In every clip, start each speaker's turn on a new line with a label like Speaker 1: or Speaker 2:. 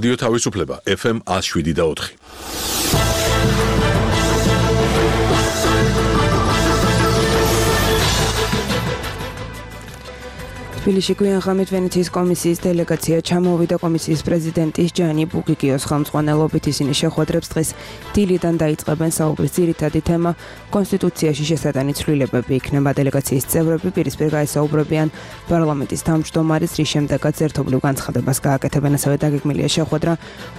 Speaker 1: რადიო თავისუფლება FM 107.4.
Speaker 2: თბილისში გვიანღამით ვენეციის კომისიის დელეგაცია ჩამოვიდა კომისიის პრეზიდენტის ჯანი ბუგიგიოს ხელმძღვანელობით. ისინი შეხვედრებს დღეს დილიდან დაიწყებენ. საუბრის ძირითადი თემა კონსტიტუციაში შესატანი ცვლილებები იქნება. დელეგაციის წევრები პირისპირ გაესაუბრებიან პარლამენტის თავმჯდომარის, რის შემდეგაც ერთობლივ განცხადებას გააკეთებენ. ასევე დაგეგმილია შეხვედრა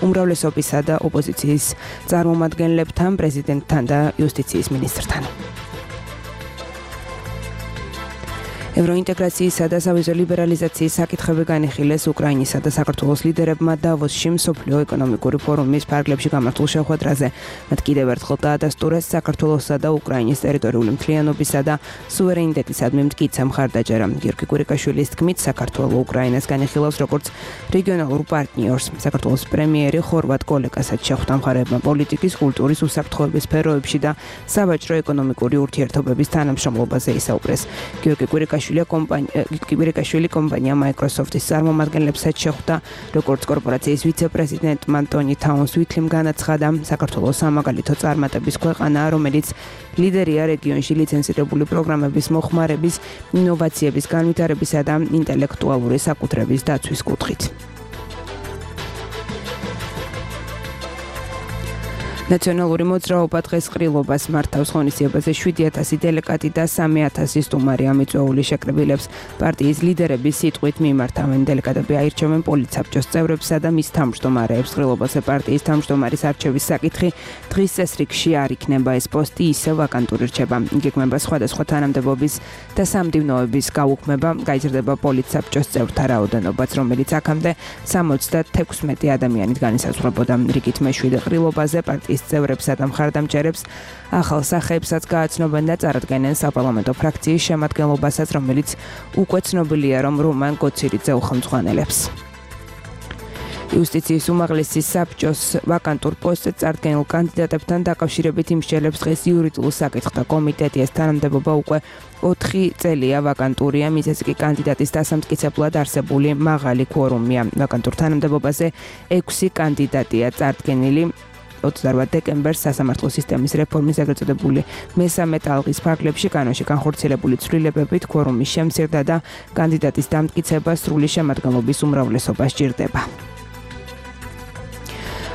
Speaker 2: უმრავლესობისა და ოპოზიციის წარმომადგენლებთან, პრეზიდენტთან და იუსტიციის მინისტრთან. ევროინტეგრაციისა და სავიზო ლიბერალიზაციის საკითხები განიხილეს უკრაინისა და საქართველოს ლიდერებმა დავოსში მსოფლიო ეკონომიკური ფორუმის ფარგლებში გამართულ შეხვედრაზე. მათ კიდევ ერთხელ დაადასტურეს საქართველოსა და უკრაინის ტერიტორიული მთლიანობისა და სუვერენიტეტისადმი მტკიცე მხარდაჭერა. გიორგი კვირიკაშვილის თქმით, საქართველო უკრაინას განიხილავს როგორც რეგიონალურ პარტნიორს. საქართველოს პრემიერი ხორვატ კოლეგასაც შეხვდა მხარეებმა პოლიტიკის, კულტურის, უსაფრთხოების სფეროებში და სავაჭრო ეკონომიკური ურთიერთობების თანამშრომლობაზე ისაუბრეს. გიორგი კვირიკაშვილი კომპანია Microsoft-ის წარმომადგენლებსაც შეხვდა, როგორც კორპორაციის ვიცე-პრეზიდენტმა ტონი თაუნსვითლიმ განაცხადა, საქართველოს სამაგალითო წარმატების ქვეყანაა, რომელიც ლიდერია რეგიონში ლიცენზირებული პროგრამების მოხმარების, ინოვაციების განვითარებისა და ინტელექტუალური საკუთრების დაცვის კუთხით. ნაციონალური მოძრაობა დღეს ყრილობას მართავს. ღონისძიებაზე 7,000 დელეგატი და 3,000 სტუმარი ამიწვეული შეკრებილებს პარტიის ლიდერების სიტყვით მიმართავენ. დელეგატები აირჩევენ პოლიცაბჭოს წევრებსა და მის თავმჯდომარეებს. ყრილობაზე პარტიის თავმჯდომარის არჩევის საკითხი დღის წესრიგში არ იქნება. ეს პოსტი ისევ ვაკანტური რჩება. იგეგმება სხვადასხვა თანამდებობის და სამდივნოების გაუქმება. გაიზრდება პოლიცაბჭოს წევრთა რაოდენობაც, რომელიც აქამდე 76 ადამიანით განისაზღვრებოდა. რიგით მეშვიდე ყრილობაზე პარტიის წევრებსა და მხარდამჭერებს ახალ სახეებსაც გააცნობენ და წარადგენენ საპარლამენტო ფრაქციის შემადგენლობასაც, რომელიც უკვე ცნობილია, რომ რომან კოცირიძე უხელმძღვანელებს. იუსტიციის უმაღლესი საბჭოს ვაკანტურ პოსტზე წარდგენილ კანდიდატებთან დაკავშირებით იმსჯელებს დღეს იურიდიულ საკითხთა კომიტეტი. ეს თანამდებობა უკვე 4 წელია ვაკანტურია, მიზეზი კი კანდიდატის დასამტკიცებლად არსებული მაღალი ქუორუმია. ვაკანტურ თანამდებობაზე 6 კანდიდატია წარდგენილი. 28 დეკემბერს სასამართლო სისტემის რეფორმის ეგრეთ წოდებული მესამე ტალღის ფარგლებში კანონში განხორციელებული ცვლილებებით ქუორუმის შემცირდა და კანდიდატის დამტკიცება სრული შემადგენლობის უმრავლესობა სჭირდება.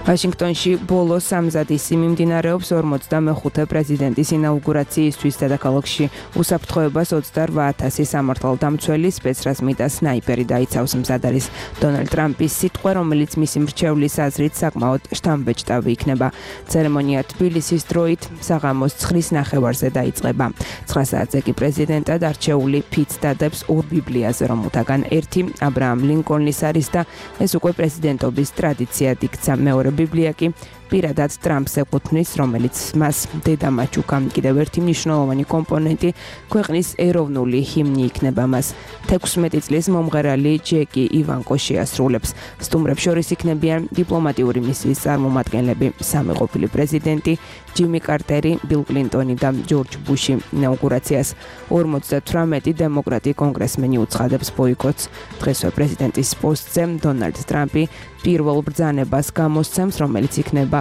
Speaker 2: ვაშინგტონში ბოლო სამზადისი მიმდინარეობს 45 პრეზიდენტის ინაუგურაციისთვის. დედაქალაქში უსაფრთხოებას 28,000 სამართალდამცველი, სპეცრაზმი და სნაიპერი დაიცავს. მზად არის დონალდ ტრამპის სიტყვა, რომელიც მისი მრჩევლის აზრით საკმაოდ შთამბეჭდავი იქნება. ცერემონია თბილისის დროით საღამოს 9:00 ნახევარზე დაიწყება. 9 საათზე კი პრეზიდენტად არჩეული ფიც დადებს 2 ბიბლიაზე, რომლთაგან ერთი აბრაამ ლინკოლნის არის და ეს უკვე პრეზიდენტობის ტრადიციად იქცა. მეორე ბიბლია კი პირადად ტრამპს ეკუთვნის, რომელიც მას დედამაჩ უკა. კიდევ ერთი მნიშვნელოვანი კომპონენტი ქვეყნის ეროვნული ჰიმნი იქნება. მას 16 წლის მომღერალი ჯეკი ივანკო შეასრულებს. სტუმრებს შორის იქნებიან დიპლომატიური მისიის წარმომადგენლები, სამი ყოფილი პრეზიდენტი, ჯიმი კარტერი, ბილ კლინტონი და ჯორჯ ბუში. ინაუგურაციას 58 დემოკრატი კონგრესმენი უცხადებს ბოიკოტს. დღესვე პრეზიდენტის პოსტზე დონალდ ტრამპი პირველ ბრძანებას გამოსცემს, რომელიც იქნება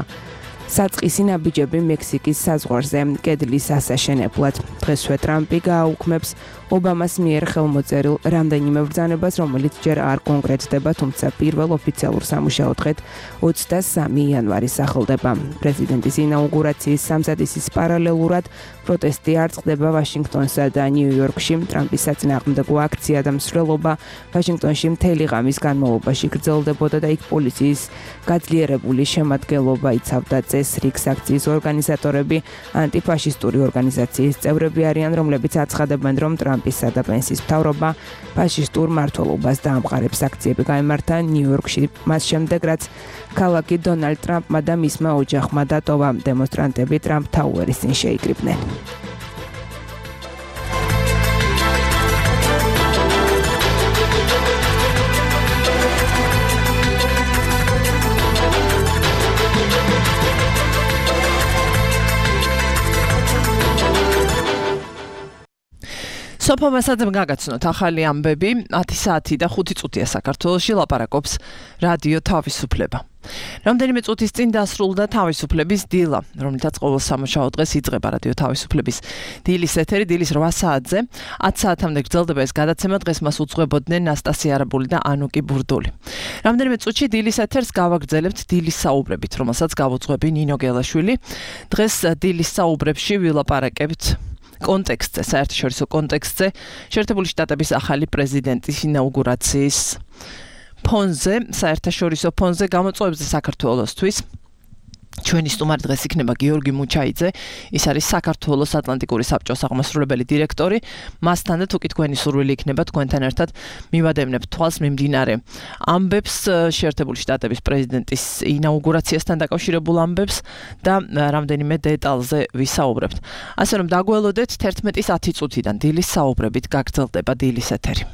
Speaker 2: საწყისი ნაბიჯები მექსიკის საზღვარზე კედლის ასაშენებლად. დღესვე ტრამპი გააუქმებს ობამას მიერ ხელმოწერილ რამდენიმე ბრძანებას, რომელიც ჯერ არ კონკრეტდება, თუმცა პირველ ოფიციალურ სამუშაო დღედ 23 იანვარი სახელდება. პრეზიდენტის ინაუგურაციის სამზადისის პარალელურად პროტესტი არ წყდება ვაშინგტონსა და ნიუ-იორკში. ტრამპის საწინააღმდეგო აქცია და მსვლელობა ვაშინგტონში მთელი ღამის განმავლობაში გრძელდებოდა და იქ პოლიციის გაძლიერებული შემადგენლობა იცავდა წესრიგს. აქციის ორგანიზატორები ანტიფაშისტური ორგანიზაციის წევრები არიან, რომლებიც აცხადებენ, რომ ტრამპისა და პენსის მთავრობა ფაშისტურ მმართველობას დაამყარებს. აქციები გაიმართა ნიუ-იორკში მას შემდეგ, რაც ქალაქი დონალდ ტრამპმა და მისმა ოჯახმა დატოვა. დემონსტრანტები ტრამპ თაუერის წინ შეიკრიბნენ.
Speaker 3: სოფო მასაძემ გაგაცნოთ ახალი ამბები 10 საათი და 5 წუთია საქართველოში ლაპარაკობს რადიო თავისუფლება. რამდენიმე წუთის წინ დასრულდა თავისუფლების დილა, რომლითაც ყოველ სამუშაო დღეს იწყება რადიო თავისუფლების დილის ეთერი, დილის 8 საათზე. 10 საათამდე გრძელდება ეს გადაცემა, დღეს მას უძღვებოდნენ ნასტასია არაბული და ანუკი ბურდული. რამდენიმე წუთში დილის ეთერს გავაგრძელებთ დილის საუბრებით, რომელსაც გავუძღვები ნინო გელაშვილი. დღეს დილის საუბრებში ვილაპარაკებთ კონტექსტზე, საერთაშორისო კონტექსტზე, შეერთებული შტატების ახალი პრეზიდენტის ინაუგურაციის ფონზე, საერთაშორისო ფონზე გამოწვევებზე საქართველოსთვის. ჩვენი სტუმარი დღეს იქნება გიორგი მუჩაიძე, ის არის საქართველოს ატლანტიკური საბჭოს აღმასრულებელი დირექტორი. მასთან და თუკი თქვენი სურვილი იქნება თქვენთან ერთად მივადევნებთ თვალს მიმდინარე ამბებს, შეერთებული შტატების პრეზიდენტის ინაუგურაციასთან დაკავშირებულ ამბებს და რამდენიმე დეტალზე ვისაუბრებთ. ასე რომ დაგველოდეთ 11:10 წუთიდან დილის საუბრებით გაგრძელდება დილის ეთერი.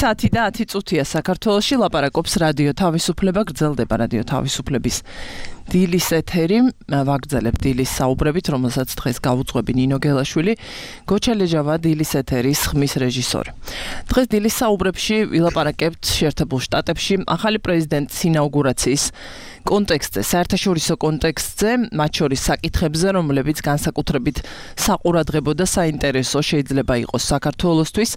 Speaker 3: საათი და 10 წუთია საქართველოში, ლაპარაკობს რადიო თავისუფლება, გრძელდება რადიო თავისუფლების დილის ეთერი ვაგრძელებ დილის საუბრებით, რომელსაც დღეს გავუძღვები ნინო გელაშვილი, გოჩალეჟავა დილის ეთერის ხმის რეჟისორი. დღეს დილის საუბრებში ვილაპარაკებთ შეერთებულ შტატებში ახალი პრეზიდენტის ინაუგურაციის კონტექსტზე, საერთაშორისო კონტექსტზე, მათ შორის საკითხებზე, რომლებიც განსაკუთრებით საყურადღებო და საინტერესო შეიძლება იყოს საქართველოსთვის.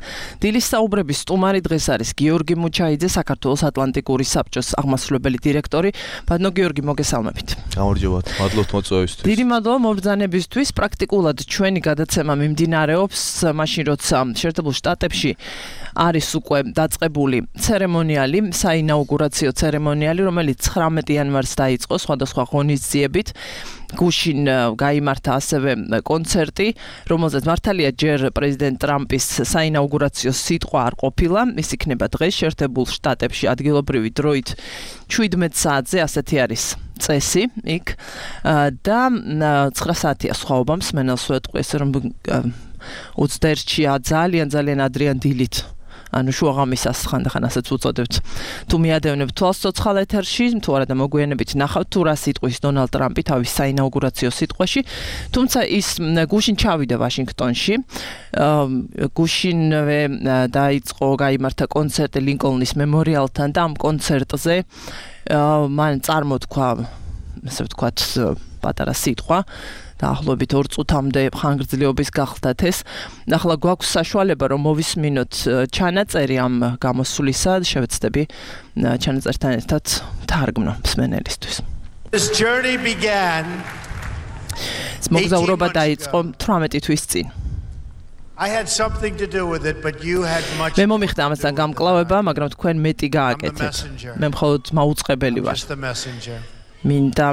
Speaker 3: დილის საუბრების სტუმარი დღეს არის გიორგი მუჩაიძე, საქართველოს ატლანტიკური საბჭოს აღმასრულებელი დირექტორი. ბატონო გიორგი, მოგესალმებით.
Speaker 4: გამარჯობათ, მადლობთ მოწვევისთვის.
Speaker 3: დიდი მადლობა მობრძანებისთვის. პრაქტიკულად ჩვენი გადაცემა მიმდინარეობს მაშინ, როცა შეერთებულ შტატებში არის უკვე დაწყებული ცერემონიალი, საინაუგურაციო ცერემონიალი, რომელიც 19 იანვარს დაიწყო სხვადასხვა ღონისძიებით. გუშინ გაიმართა ასევე კონცერტი, რომელზეც მართალია ჯერ პრეზიდენტ ტრამპის საინაუგურაციო სიტყვა არ ყოფილა, ის იქნება დღეს შეერთებულ შტატებში ადგილობრივი დროით 17 საათზე, ასეთი არის წესი იქ და 9 საათია სხვაობა მსმენელს ვეტყვი, ესე რომ 21-ში ძალიან ადრიან დილით ანუ შუაღამისას ხანდახან ასეც უწოდებთ. თუ მიადევნებთ თვალს ცოცხალ ეთერში, თუ არა და მოგვიანებით ნახავთ თუ რა სიტყვის დონალდ ტრამპი თავის საინაუგურაციო სიტყვაში, თუმცა ის გუშინ ჩავიდა ვაშინგტონში. გუშინვე დაიწყო, გაიმართა კონცერტი ლინკოლნის მემორიალთან და ამ კონცერტზე მან წარმოთქვა, ასე ვთქვათ, პატარა სიტყვა. დაახლოებით 2 წუთამდე ხანგრძლივობის გახლდათ ეს. ახლა გვაქვს საშუალება რომ მოვისმინოთ ჩანაწერი ამ გამოსვლისა, შევეცდები ჩანაწერთან ერთად თარგმნო მსმენელისთვის.
Speaker 5: This journey began.
Speaker 3: მოგზაურობა დაიწყო 18 თვის წინ.
Speaker 5: I had something to do with it, but you had much.
Speaker 3: მე მომიხდა ამასთან გამკლავება, მაგრამ თქვენ მეტი გააკეთეთ. მე მხოლოდ მაუწყებელი ვარ. მინდა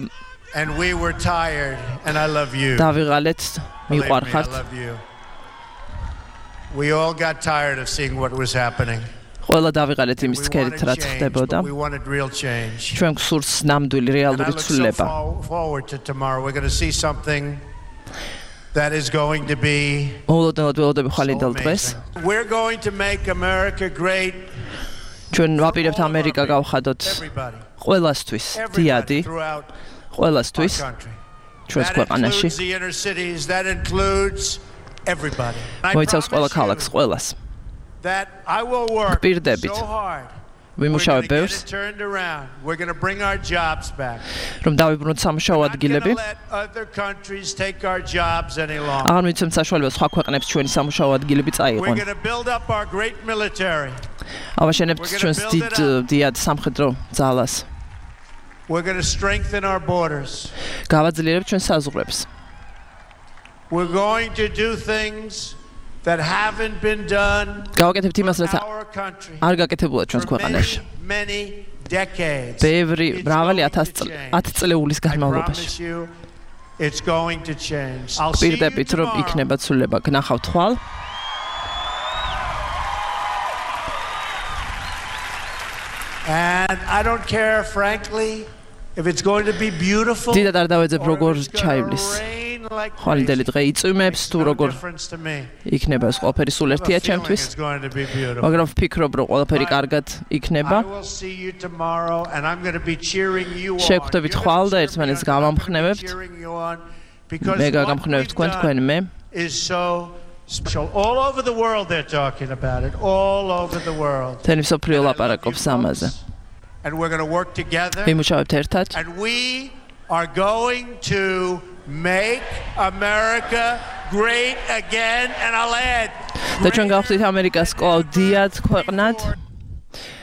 Speaker 5: And we were tired, and I love you.
Speaker 3: დავიღალეთ, მიყვარხართ.
Speaker 5: We all got tired of seeing what was happening.
Speaker 3: ყველა დავიღალეთ იმის ცქერით, რაც ხდებოდა.
Speaker 5: We wanted real change.
Speaker 3: ჩვენ გსურს ნამდვილი რეალური ცვლილება.
Speaker 5: Forward to tomorrow. We're going to see something that is going to be.
Speaker 3: ველოდები ხვალინდელ დღეს.
Speaker 5: We're going to make America great.
Speaker 3: ჩვენ ვაპირებთ ამერიკა გავხადოთ ყველასთვის, დიადი. ყველასთვის ჩვენს ქვეყანაში მოიცავს ყველა ქალაქს, ყველას. პირდებით ვიმუშავებ ბევრს, რომ დავიბრუნოთ სამუშაო ადგილები. აღარ მიცემთ საშუალებას სხვა ქვეყნებს ჩვენი სამუშაო ადგილები წაიყვნენ. ავაშენებთ ჩვენს დიდ სამხედრო ძალას.
Speaker 5: We're going to strengthen our borders.
Speaker 3: გავაძლიერებთ ჩვენ საზღვრებს.
Speaker 5: We're going to do things that haven't been done.
Speaker 3: გავაკეთებთ იმას, რაც არ გაკეთებულა ჩვენს ქვეყანაში.
Speaker 5: Many decades.
Speaker 3: ბევრი მრავალი 10 წლეულის განმავლობაში.
Speaker 5: It's going to change.
Speaker 3: პირდებით რომ იქნება ცვლილება, გნახავთ ხვალ.
Speaker 5: And I don't care, frankly, if it's going to be beautiful.
Speaker 3: დიდად არ დავეძებ როგორ ჩაივლის. ხვალინდელი დღე იწვიმებს თუ როგორ იქნება ეს ყველაფერი სულ ერთია ჩემთვის. მაგრამ ვფიქრობ რომ ყველაფერი კარგად იქნება. შეგხვდებით ხვალ და ერთმანეთს გამამხნევებთ. მე გაგამხნევებ თქვენ მე.
Speaker 5: All over the world they're talking about it. All over the world.
Speaker 3: თენი მსოფლიო ლაპარაკობს ამაზე.
Speaker 5: And we're going to work together.
Speaker 3: ვიმუშავებთ ერთად.
Speaker 5: And we are going to make America great again, and I'll add.
Speaker 3: და ჩვენ გავხდით ამერიკას კვლავ დიად ქვეყნად.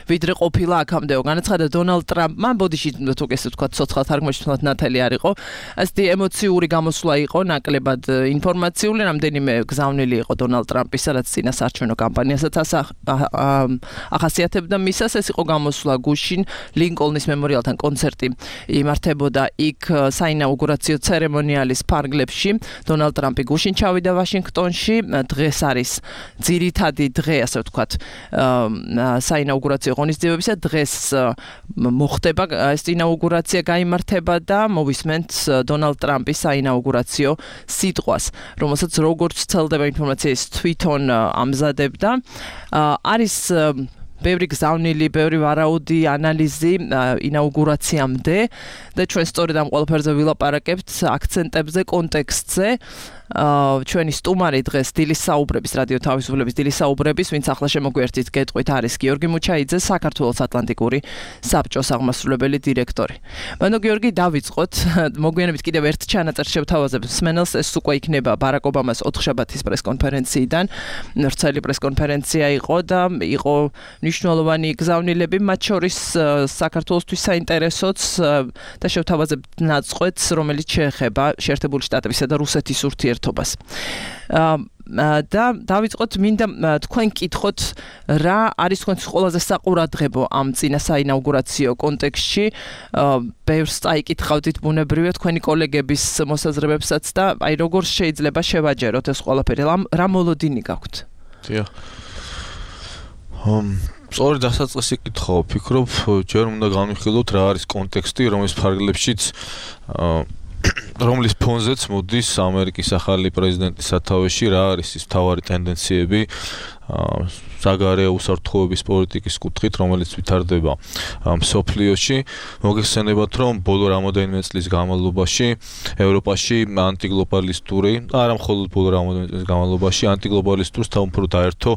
Speaker 3: ვიდრე ყოფილა აქამდეო განაცხადა დონალდ ტრამპმა, ბოდიში თუ ესე ვთქვა ცოცხალ თარგმანში თუნდაც ნათელი არ იყო. ასეთი ემოციური გამოსვლა იყო, ნაკლებად ინფორმაციული, რამდენიმე გზავნილი იყო დონალდ ტრამპის, სადაც წინასაარჩევნო კამპანიასაც ახასიათებდა მისას. ეს იყო გამოსვლა გუშინ ლინკოლნის მემორიალთან კონცერტი იმართებოდა იქ საინაუგურაციო ცერემონიალის ფარგლებში. დონალდ ტრამპი გუშინ ჩავიდა ვაშინგტონში, დღეს არის ძირითადი დღე, ასე ვთქვათ, საინაუგურაციო ღონისძიებებისა. დღეს მოხდება ეს ინაუგურაცია, გაიმართება და მოვისმენთ დონალდ ტრამპის საინაუგურაციო სიტყვას, რომელსაც როგორც ვრცელდება ინფორმაცია ის თვითონ ამზადებდა. არის ბევრი გზავნილი, ბევრი ვარაუდი, ანალიზი ინაუგურაციამდე და ჩვენ სწორედ ამ ყველაფერზე ვილაპარაკებთ, აქცენტებზე, კონტექსტზე. ჩვენი სტუმარი დღეს დილის საუბრების რადიო თავისუფლების დილის საუბრების ვინც ახლა შემოგვერთით გეტყვით არის გიორგი მუჩაიძე საქართველოს ატლანტიკური საბჭოს აღმასრულებელი დირექტორი. ბანო გიორგი დავიწყოთ მოგვიანებით კიდევ ერთ ჩანაწერს შევთავაზებ სმენელს ეს უკვე იქნება ბარაკ ობამას 4 შაბათის პრესკონფერენციიდან ვრცელი პრესკონფერენცია იყო და იყო მნიშვნელოვანი გზავნილები მათ შორის საქართველოსთვის საინტერესოც და შევთავაზებ ნაწყვეტს რომელიც შეეხება შეერთებული შტატებისა და რუსეთის ურთიერთობას და დავიწყოთ მინდა თქვენ კითხოთ რა არის თქვენთვის ყველაზე საყურადღებო ამ წინა საინაუგურაციო კონტექსტში ბევრს წაიკითხავდით ბუნებრივია თქვენი კოლეგების მოსაზრებებსაც და აი როგორ შეიძლება შევაჯეროთ ეს ყველაფერი რა მოლოდინი გაქვთ
Speaker 4: დიახ სწორი დასაწყისი კითხავ ვფიქრობ ჯერ უნდა განვიხილოთ რა არის კონტექსტი რომლის ფარგლებშიც რომლის ფონზეც მოდის ამერიკის ახალი პრეზიდენტის სათავეში რა არის ის მთავარი ტენდენციები საგარეო უსაფრთხოების პოლიტიკის კუთხით რომელიც ვითარდება მსოფლიოში მოგეხსენებათ რომ ბოლო რამოდენიმე წლის განმავლობაში ევროპაში ანტიგლობალისტური არა მხოლოდ ბოლო რამოდენიმე წლის განმავლობაში ანტიგლობალისტურს თავმფრო დაერთო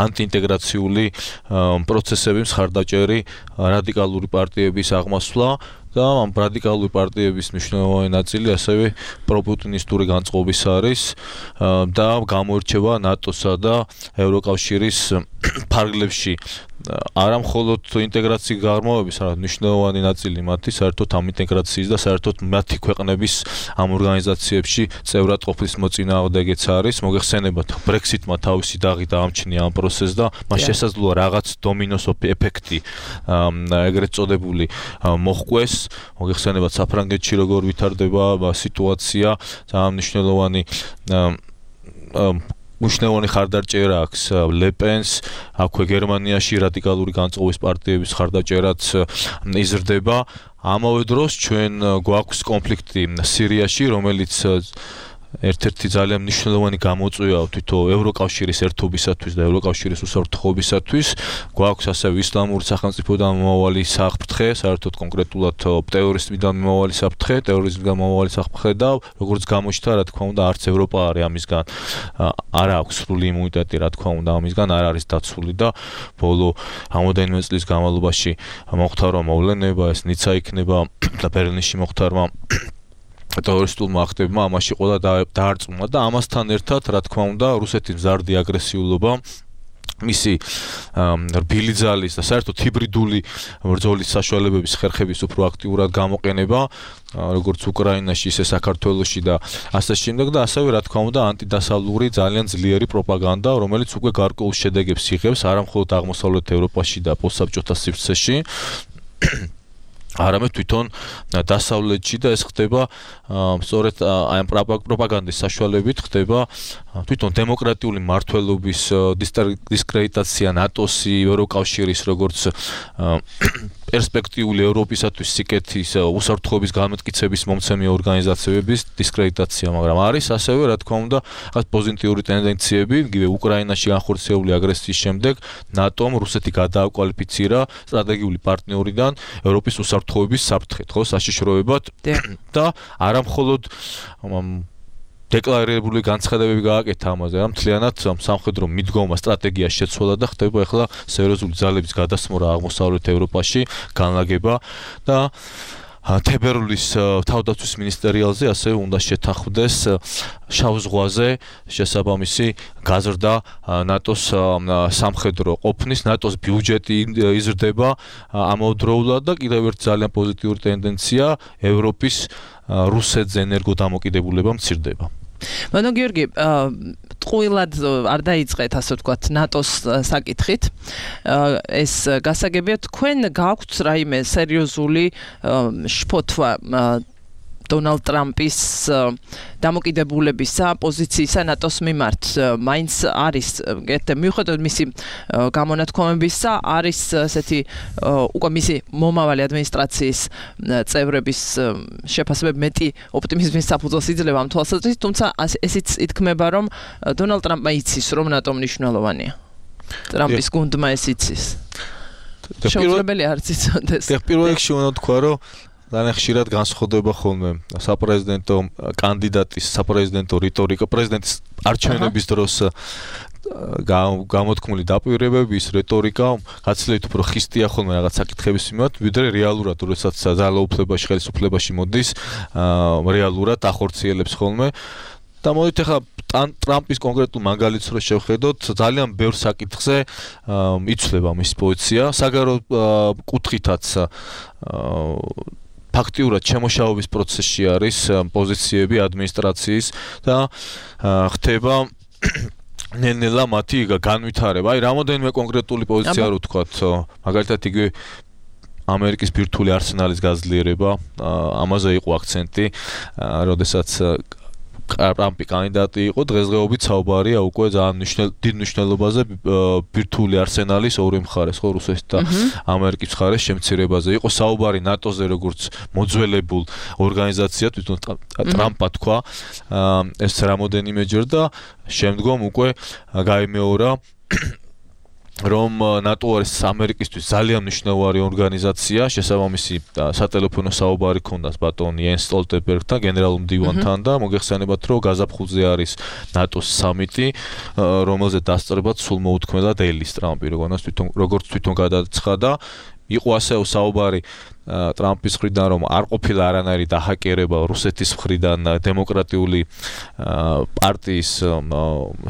Speaker 4: ანტიინტეგრაციული პროცესები მხარდაჭერი რადიკალური პარტიების აღმასვლა და ამ რადიკალური პარტიების მნიშვნელოვანი ნაწილი ასევე პროპუტინისტური განწყობის არის და გამოირჩევა ნატოსა და ევროკავშირის ფარგლებში არა მხოლოდ ინტეგრაციის გარმოვების, არამედ მნიშვნელოვანი ნაწილი მათი საერთოდ ამ ინტეგრაციის და საერთოდ მათი ქვეყნების ამ ორგანიზაციებში წევრად ყოფნის მოწინააღმდეგეც არის. მოგეხსენებათ, Brexit-მა თავისი დაღი დაამჩნია ამ პროცესს და მას შესაძლოა რაღაც დომინოს ეფექტი ეგრეთ წოდებული მოჰყვეს. მოგეხსენებათ, საფრანგეთში როგორ ვითარდება სიტუაცია, ძალიან მნიშვნელოვანი ხარდაჭერა აქვს ლეპენს, აქვე გერმანიაში რადიკალური განწყობის პარტიების ხარდაჭერაც იზრდება. ამავე დროს ჩვენ გვაქვს კონფლიქტი სირიაში, რომელიც ერთ-ერთი ძალიან მნიშვნელოვანი გამოწვევა თვითონ ევროკავშირის ერთობისათვის და ევროკავშირის უსაფრთხოებისათვის. გვაქვს ასევე ისლამური სახელმწიფოდან მომავალი საფრთხე, საერთოდ კონკრეტულად ტერორიზმიდან მომავალი საფრთხე, ტერორიზმიდან მომავალი საფრთხე და როგორც გამოჩნდა, რა თქმა უნდა, არც ევროპა არის ამისგან არ აქვს სრული იმუნიტეტი, რა თქმა უნდა, ამისგან არ არის დაცული და ბოლო რამოდენიმე წლის განმავლობაში მოხდარა მოვლენება, ეს ნიცა იქნება და ბერლინში მოხდარა ტერორისტულმა აქტებმა ამაში ყველა დაარწმუნა და ამასთან ერთად, რა თქმა უნდა, რუსეთის მზარდი აგრესიულობა მისი რბილი ძალის და საერთოდ ჰიბრიდული ბრძოლის საშუალებების ხერხების უფრო აქტიურად გამოყენება, როგორც უკრაინაში, ისე საქართველოში და ასე შემდეგ და ასევე, რა თქმა უნდა, ანტიდასავლური ძალიან ძლიერი პროპაგანდა, რომელიც უკვე გარკვეულ შედეგებს იღებს არა მხოლოდ აღმოსავლეთ ევროპაში და პოსტსაბჭოთა სივრცეში, არამედ თვითონ დასავლეთში და ეს ხდება სწორედ აი ამ პროპაგანდის საშუალებით ხდება თვითონ დემოკრატიული მართლობის დისკრედიტაცია ნატოსი, ევროკავშირის როგორც პერსპექტიული ევროპისათვის სიკეთის უსაფრთხოების განმტკიცების მომცემი ორგანიზაციების დისკრედიტაცია, მაგრამ არის ასევე, რა თქმა უნდა, პოზიტიური ტენდენციები, იგივე უკრაინაში განხორციელებული აგრესიის შემდეგ ნატომ რუსეთი გადააკვალიფიცირა სტრატეგიული პარტნიორიდან ევროპის უსაფრთხოების საფრთხედ, ხო, საშიშროებად და არა მხოლოდ დეკლარირებული განცხადებები გააკეთა ამაზე, რომ მთლიანად სამხედრო მიდგომა სტრატეგია შეცვალა და ხდება ახლა სერიოზული ძალების გადასმორა აღმოსავლეთ ევროპაში, განლაგება და თებერვლის თავდაცვის მინისტერიალზე ასევე უნდა შეთანხმდეს შავ ზღვაზე შესაბამისი გაზრდა ნატოს სამხედრო ყოფნის, ნატოს ბიუჯეტი იზრდება ამავდროულად და კიდევ ერთი ძალიან პოზიტიური ტენდენცია ევროპის რუსეთზე ენერგოდამოკიდებულება მცირდება.
Speaker 3: ბანო გიორგი, ტყუილად არ დაიწყეთ, ასე ვთქვათ, ნატოს საკითხით. ეს გასაგებია, თქვენ გაქვთ რაიმე სერიოზული შფოთვა დონალდ ტრამპის დამოკიდებულებისა პოზიციისა ნატოს მიმართ. მაინც არის, მიუხედავად მისი გამონათქვამებისა, არის ესეთი უკვე მისი მომავალი ადმინისტრაციის წევრების შეფასებები მეტი ოპტიმიზმის საფუძველს იძლევა ამ თვალსაზრისით, თუმცა ესიც ითქმება, რომ დონალდ ტრამპმა იცის, რომ ნატო მნიშვნელოვანია. ტრამპის გუნდმა ეს იცის. შეუძლებელი არც იცოდეს.
Speaker 4: პირველ რიგში უნდა თქვა, რომ ძალიან ხშირად განსხვავდება ხოლმე საპრეზიდენტო კანდიდატის საპრეზიდენტო რიტორიკა პრეზიდენტის არჩევნების დროს გამოთქმული დაპირებების რიტორიკა გაცილებით უფრო ხისტია ხოლმე რაღაც საკითხების მიმართ, ვიდრე რეალურად, როდესაც ძალაუფლებაში, ხელისუფლებაში მოდის, რეალურად ახორციელებს ხოლმე. და მოდით ახლა ტრამპის კონკრეტულ მაგალითს რო შევხედოთ, ძალიან ბევრ საკითხზე იცვლება მის პოზიცია, საგარეო კუთხითაც ფაქტიურად შემოშავების პროცესში არის პოზიციები ადმინისტრაციის და ხდება ნელ-ნელა მათი განვითარება. აი, რამოდენიმე კონკრეტული პოზიცია რო ვთქვათ, მაგალითად იგივე ამერიკის ბირთვული არსენალის გაძლიერება, ამაზე იყო აქცენტი, როდესაც ტრამპი კანდიდატი იყო, დღესდღეობით საუბარია უკვე ძალიან დიდ მნიშვნელობაზე ბირთვული არსენალის ორი მხარეს, ხო, რუსეთის და ამერიკის მხარეს შემცირებაზე. იყო საუბარი ნატოზე, როგორც მოძველებულ ორგანიზაციად, თვითონ ტრამპმა თქვა ეს რამოდენიმეჯერ და შემდგომ უკვე გაიმეორა რომ ნატო არის ამერიკისთვის ძალიან მნიშვნელოვანი ორგანიზაცია, შესაბამისი სატელეფონო საუბარი ქონდას ბატონ იენს სტოლტენბერგთან, გენერალურ მდივანთან და მოგეხსენებათ, რომ გაზაფხულზე არის ნატოს სამიტი, რომელზე დასწრებად სულ მოუთქმელა დეილის ტრამპი, როგორც თვითონ გადაცხადა. იყო ასევე საუბარი ტრამპის მხრიდან, რომ არ ყოფილა არანაირი დაჰაკერება რუსეთის მხრიდან დემოკრატიული პარტიის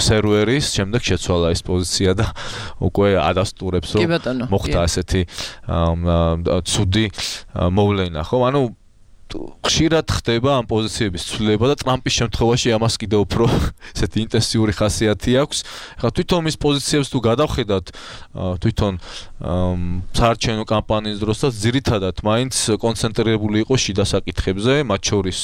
Speaker 4: სერვერის, შემდეგ შეცვალა ეს პოზიცია და უკვე ადასტურებს, რომ მოხდა ასეთი ცუდი მოვლენა, ხო? ანუ ხშირად ხდება ამ პოზიციების ცვლილება და ტრამპის შემთხვევაში ამას კიდევ უფრო ესეთი ინტენსიური ხასიათი აქვს. ახლა თვითონ მის პოზიციებს თუ გადავხედათ, თვითონ საარჩევნო კამპანიის დროსაც ძირითადად მაინც კონცენტრირებული იყო შიდა საკითხებზე, მათ შორის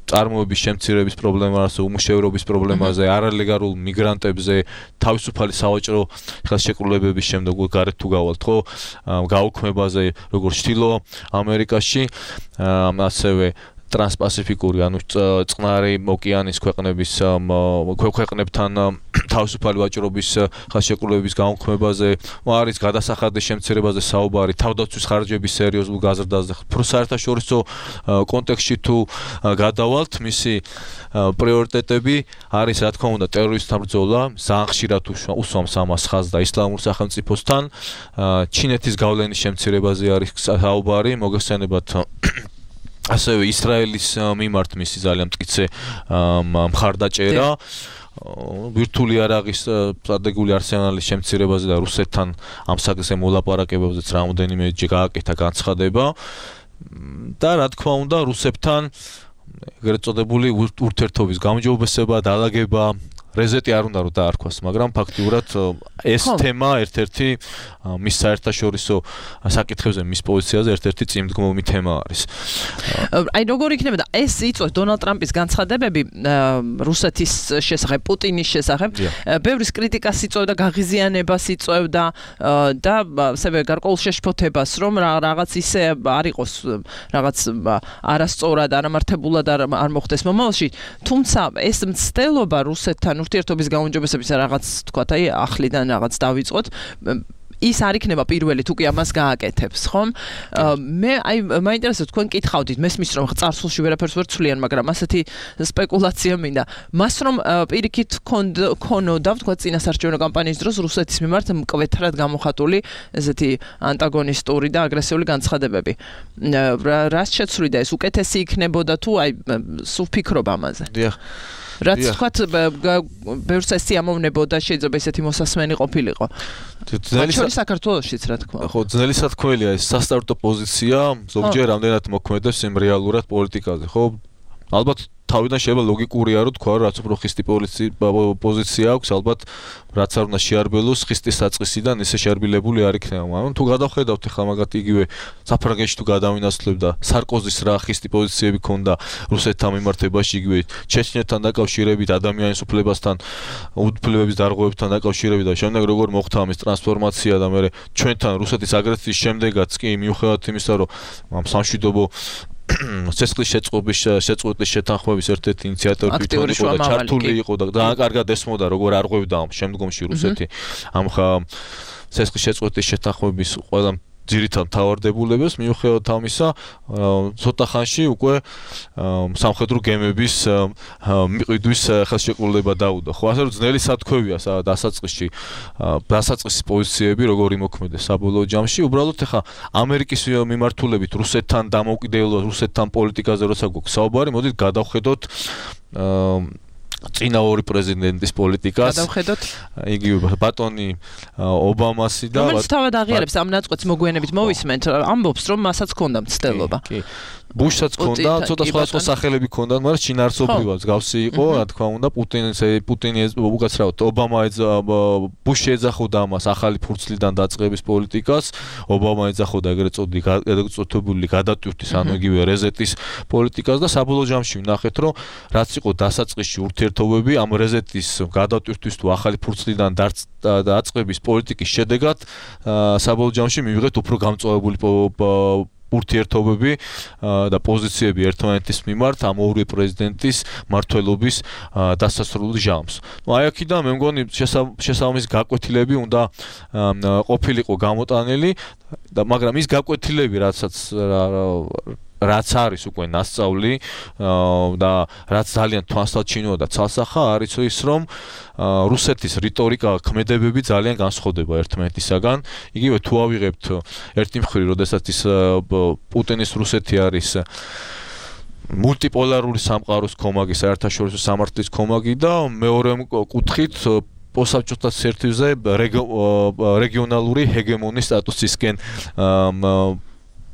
Speaker 4: წარმოების შემცირების პრობლემაზე, უმუშევრობის პრობლემაზე, არალეგალურ მიგრანტებზე, თავისუფალი სავაჭრო ხელშეკრულებების შემდეგ გარეთ თუ გავალთ, ხო, გაუქმებაზე, როგორც ჩრდილო ამერიკაში, ასევე ტრანსპასიფიკური, ანუ წყნარი ოკეანის ქვეყნებთან თავისუფალი ვაჭრობის ხელშეკრულების გაუქმებაზე, არის გადასახადის შემცირებაზე საუბარი, თავდაცვის ხარჯების სერიოზულ გაზრდაზე. საერთაშორისო კონტექსტში თუ გადავალთ, მისი პრიორიტეტები არის, რა თქმა უნდა, ტერორისტთა ბრძოლა, ძალიან ხშირად უსვამს ამას ხაზს და ისლამურ სახელმწიფოსთან, ჩინეთის გავლენის შემცირებაზე არის საუბარი, მოგეხსენებათ ასევე ისრაელის მიმართ მისი ძალიან მტკიცე მხარდაჭერა, ვირტუალური არაღის სტრატეგიული არსენალის შემცირებაზე და რუსეთთან ამ საკითხზე მოლაპარაკებებზეც რამოდენიმეჯერ გააკეთა განცხადება და რა თქმა უნდა რუსებთან ეგრეთ წოდებული ურთიერთობის გამჯობესება, დაალაგება, რეზეტი არ უნდა რომ დაარქვას, მაგრამ ფაქტიურად ეს თემა ერთ-ერთი მის საერთაშორისო საკითხებზე, მის პოზიციაზე ერთ-ერთი წინდგომი თემა არის.
Speaker 3: აი როგორ იქნება და ეს იწვევს დონალდ ტრამპის განცხადებები რუსეთის შესახებ, პუტინის შესახებ, ბევრის კრიტიკას იწვევდა, გაღიზიანებას იწვევდა და ასევე გარკვეულ შეშფოთებას, რომ რაღაც ისე არ იყოს, რაღაც არასწორად, არამართებულად არ მოხდეს მომავალში, თუმცა ეს მცდელობა რუსეთთან ურთიერთობის გაუმჯობესების რაღაც თქვათ, აი ახლიდან რაღაც დავიწყოთ, ის არ იქნება პირველი თუ კი ამას გააკეთებს, ხომ? მე აი მაინტერესებს თქვენ კითხავდით, მესმის რომ წარსულში ვერაფერს ვერ ცვლიან, მაგრამ ასეთი სპეკულაცია მინდა. მას რომ პირიქით ქონოდა, ვთქვათ, წინასაარჩევნო კამპანიის დროს რუსეთის მიმართ მკვეთრად გამოხატული ესეთი ანტაგონისტური და აგრესიული განცხადებები. რას შეცვლიდა ეს? უკეთესი იქნებოდა თუ აი სულ ფიქრობ ამაზე?
Speaker 4: დიახ.
Speaker 3: რაც თქვათ ბევრს ეს ამოვნებოდა, შეიძლება ესეთი მოსასმენი ყოფილიყო. ძნელი საქართველოშიც რა თქმა უნდა.
Speaker 4: ხო, ძნელი სათქმელია ეს სასტარტო პოზიცია, ზოგჯერ რამდენად მოქმედებს იმ რეალურად პოლიტიკაზე, ხო? ალბათ თავიდან შეიძლება ლოგიკურია რომ თქვა, რაც უფრო ხისტი პოზიცია აქვს, ალბათ რაც არ უნდა შეარბელოს ხისტის საწყისიდან ესე შეარბილებული არ იქნება. ანუ თუ გადავხედავთ ახლა მაგათ იგივე საფრანგეთში თუ გადავინაცვლებთ და სარკოზის რა ხისტი პოზიციები ქონდა რუსეთთან მიმართებაში, იგივე ჩეჩნეთთან დაკავშირებით, ადამიანის უფლებასთან, უფლებების დარღვევებთან დაკავშირებით და შემდეგ როგორ მოხდა ამის ტრანსფორმაცია და მე ჩვენთან რუსეთის აგრესიის შემდეგაც კი მიუხედავად იმისა, რომ ამ სამშვიდობო ცეცხლის შეწყვეტის შეთანხმების ერთ-ერთი ინიციატორი თვითონ იყო და ჩართული იყო და ძალიან კარგად ესმოდა როგორ არღვევდა შემდგომში რუსეთი ამ ცეცხლის შეწყვეტის შეთანხმების ყველა ძირითად მთავარდებულებას მიუხედავად ამისა ცოტა ხანში უკვე სამხედრო გემების მიყიდვის ხელშეკრულება დაუდო. ხო ასე რომ ძნელი სათქვევია დასაწყისში დასაწყისი პოზიციები როგორი მოქმედეს საბოლოო ჯამში უბრალოდ ახლა ამერიკის მიმართულებით რუსეთთან დამოუკიდებლად რუსეთთან პოლიტიკაზე როცა გვაქვს საუბარი მოდით გადავხედოთ წინა ორი პრეზიდენტის პოლიტიკას
Speaker 3: გადავხედოთ
Speaker 4: იგივე ბატონი ობამასი და
Speaker 3: რომელიც თავად აღიარებს ამ ნაწყვეტს მოგვიანებით მოვისმენთ ამბობს რომ მასაც ჰქონდა მცდელობა
Speaker 4: ბუშსაც ჰქონდა ცოტა სხვადასხვა სახელები ჰქონდა მაგრამ შინაარსობრივად გავსი იყო რა თქმა უნდა პუტინი უკაცრავად ობამა ბუში ეძახოდა ამას ახალი ფურცლიდან დაწყების პოლიტიკას ობამა ეძახოდა ეგრეთ წოდებული გადატვირთვის ანუ იგივე რეზეტის პოლიტიკას და საბოლოო ჯამში ვნახეთ რომ რაც იყო დასაწყისში ურთიერთობები ამ რეზეტის გადატვირთვის თუ ახალი ფურცლიდან დაწყების პოლიტიკის შედეგად საბოლოო ჯამში მივიღეთ უფრო გამწვავებული ურთიერთობები და პოზიციები ერთმანეთის მიმართ ამ ორი პრეზიდენტის მმართველობის დასასრულ ჟამს. აი აქედან მე მგონი შესაბამისი გაკვეთილები უნდა ყოფილიყო გამოტანილი მაგრამ ის გაკვეთილები რაც არის უკვე ნასწავლი და რაც ძალიან თვალსაჩინოა და ცალსახა არის ის რომ რუსეთის რიტორიკა ქმედებები ძალიან განსხვავდება ერთმანეთისაგან. იგივე თუ ავიღებთ ერთი მხრივ, როდესაც ის პუტინის რუსეთი არის მულტიპოლარული სამყაროს კომაგი, საერთაშორისო სამართლის კომაგი და მეორე კუთხით posabჭოთა სერტივზე რეგიონალური ჰეგემონის სტატუსისკენ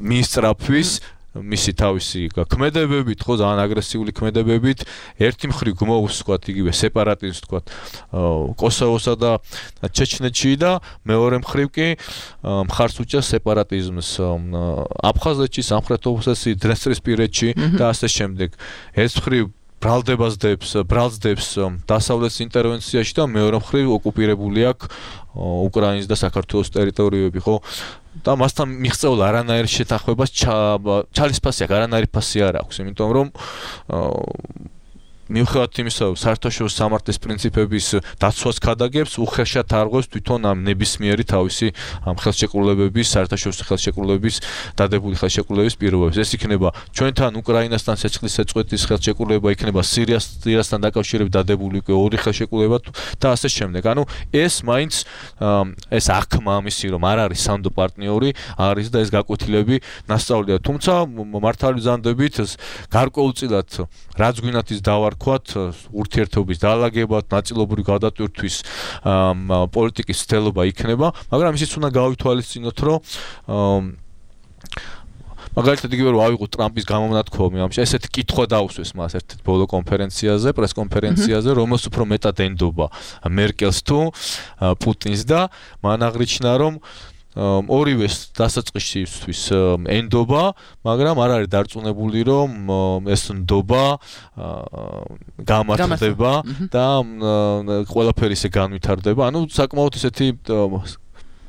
Speaker 4: მინისტრაფვის მისი თავისი ქმედებებით, ხო, ძალიან აგრესიული ქმედებებით, ერთი მხრივ გმოვს, ვთქვათ, იგივე სეპარატიზმს, ვთქვათ, კოსოვოსა და ჩეჩნეთში და მეორე მხრივ კი მხარს უჭერს სეპარატიზმს აფხაზეთში, სამხრეთ ოსეთში, დნესტრისპირეთში და ასე შემდეგ. ეს მხრივ ბრალდებს დასავლეთის ინტერვენციაში და მეორე მხრივ ოკუპირებული აქვს უკრაინის და საქართველოს ტერიტორიები, ხო? და მასთან მიღწეულ არანაირ შეთანხმებას ჩალისფასი აქვს, არანაირი ფასი არ აქვს, იმიტომ რომ მიუხედავად იმისა, რომ საერთაშორისო სამართლის პრინციპების დაცვას ქადაგებს, უხეშად არღვევს თვითონ ამ ნებისმიერი თავისი ამ ხელშეკრულებების, საერთაშორისო ხელშეკრულების, დადებული ხელშეკრულების პირობებს. ეს იქნება ჩვენთან უკრაინასთან ცეცხლის შეწყვეტის ხელშეკრულება, იქნება სირიასთან დაკავშირებით დადებული უკვე ორი ხელშეკრულება და ასე შემდეგ. ანუ ეს მაინც ეს აღქმა ამისი, რომ არ არის სანდო პარტნიორი, არის და ეს გაკვეთილები ნასწავლია. თუმცა მართალი ვზანდებით გარკვეულწილად რაც გვინათ ის დავარქვათ ურთიერთობის დაალაგებად, ნაწილობრივ გადატვირთვის პოლიტიკის ცდელობა იქნება, მაგრამ ისიც უნდა გავითვალისწინოთ, რომ მაგალითად იგივე რომ ავიღოთ ტრამპის გამონათქვამი ამაში, ესეთი კითხვა დაუსვეს მას ერთ ბოლო კონფერენციაზე, პრესკონფერენციაზე, რომელს უფრო მეტად ენდობა მერკელს თუ პუტინს და მან აღნიშნა, რომ ორივეს დასაწყისისთვის ენდობა, მაგრამ არ არის დარწმუნებული, რომ ეს ნდობა გამართლდება და ყველაფერი ისე განვითარდება. ანუ საკმაოდ ისეთი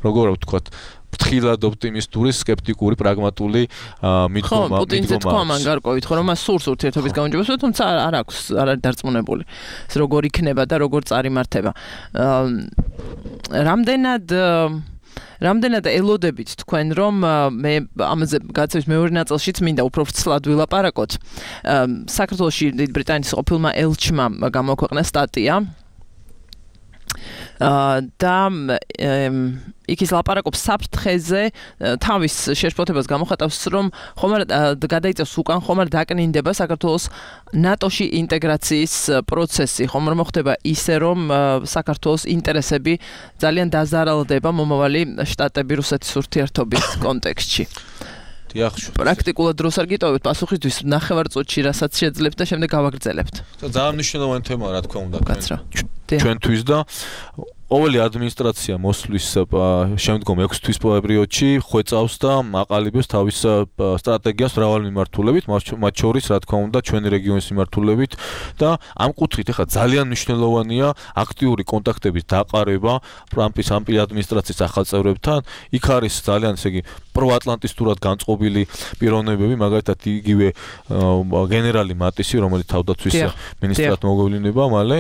Speaker 4: როგორ ვთქვათ, ფრთხილად ოპტიმისტური, სკეპტიკური, პრაგმატული მიდგომა.
Speaker 3: პუტინზე თქვა მან გარკვევით, რომ მას სურს ურთიერთობის გამარჯვებას, თუმცა არ აქვს, არ არის დარწმუნებული. ეს როგორ იქნება და როგორ წარიმართება. რამდენად ელოდებით თქვენ, რომ მე ამაზე გაცევის მეორე ნაწილშიც მინდა უფრო ვრცლად ვილაპარაკოთ. საქართველოში ბრიტანეთის ყოფილმა ელჩმა გამოქვეყნა სტატია და იქ ის ლაპარაკობს საფრთხეზე, თავის შეშფოთებას გამოხატავს, რომ ხომ არ გადაიწევს უკან, ხომ არ დაკნინდება საქართველოს ნატოში ინტეგრაციის პროცესი, ხომ არ მოხდება ისე, რომ საქართველოს ინტერესები ძალიან დაზარალდება მომავალი შტატები რუსეთის ურთიერთობის კონტექსტში. პრაქტიკულად დროს არ გიტოვებთ პასუხისთვის ნახევარწუთში, რასაც შეძლებთ და შემდეგ გავაგრძელებთ.
Speaker 4: ძალიან მნიშვნელოვანი თემაა, რა თქმა უნდა, ჩვენთვის და ყოველი ადმინისტრაცია მოსვლის შემდგომ 6 თვის პერიოდში ხვეწავს და აყალიბებს თავის სტრატეგიას მრავალ მიმართულებით, მათ შორის რა თქმა უნდა ჩვენი რეგიონის მიმართულებით და ამ კუთხით ახლა ძალიან მნიშვნელოვანია აქტიური კონტაქტების დაყარება ტრამპის ამ ადმინისტრაციის ახალ წევრებთან. იქ არის ძალიან ესე იგი პროატლანტისტურად განწყობილი პიროვნებები, მაგალითად იგივე გენერალი მატისი, რომელიც თავდაცვის მინისტრად მოგვევლინება მალე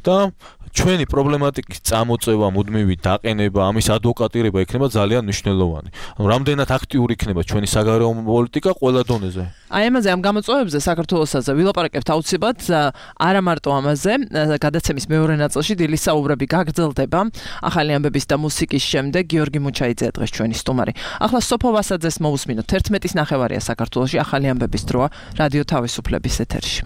Speaker 4: და ჩვენი პრობლემატიკის წამოწევა, მუდმივი დაყენება, ამის ადვოკატირება იქნება ძალიან მნიშვნელოვანი. რამდენად აქტიური იქნება ჩვენი საგარეო პოლიტიკა ყველა დონეზე.
Speaker 3: აი ამაზე ამ გამოწვევებზე საქართველოსაც ვილაპარაკებთ აუცილებლად, არა მარტო ამაზე, გადაცემის მეორე ნაწილში დილის საუბრები გაგრძელდება. ახალი ამბების და მუსიკის შემდეგ გიორგი მუჩაიძე დღეს ჩვენი სტუმარი. ახლა სოფო ვასაძეს მოусმინოთ. 11:30 საქართველოში ახალი ამბების დროა რადიო თავისუფლების ეთერში.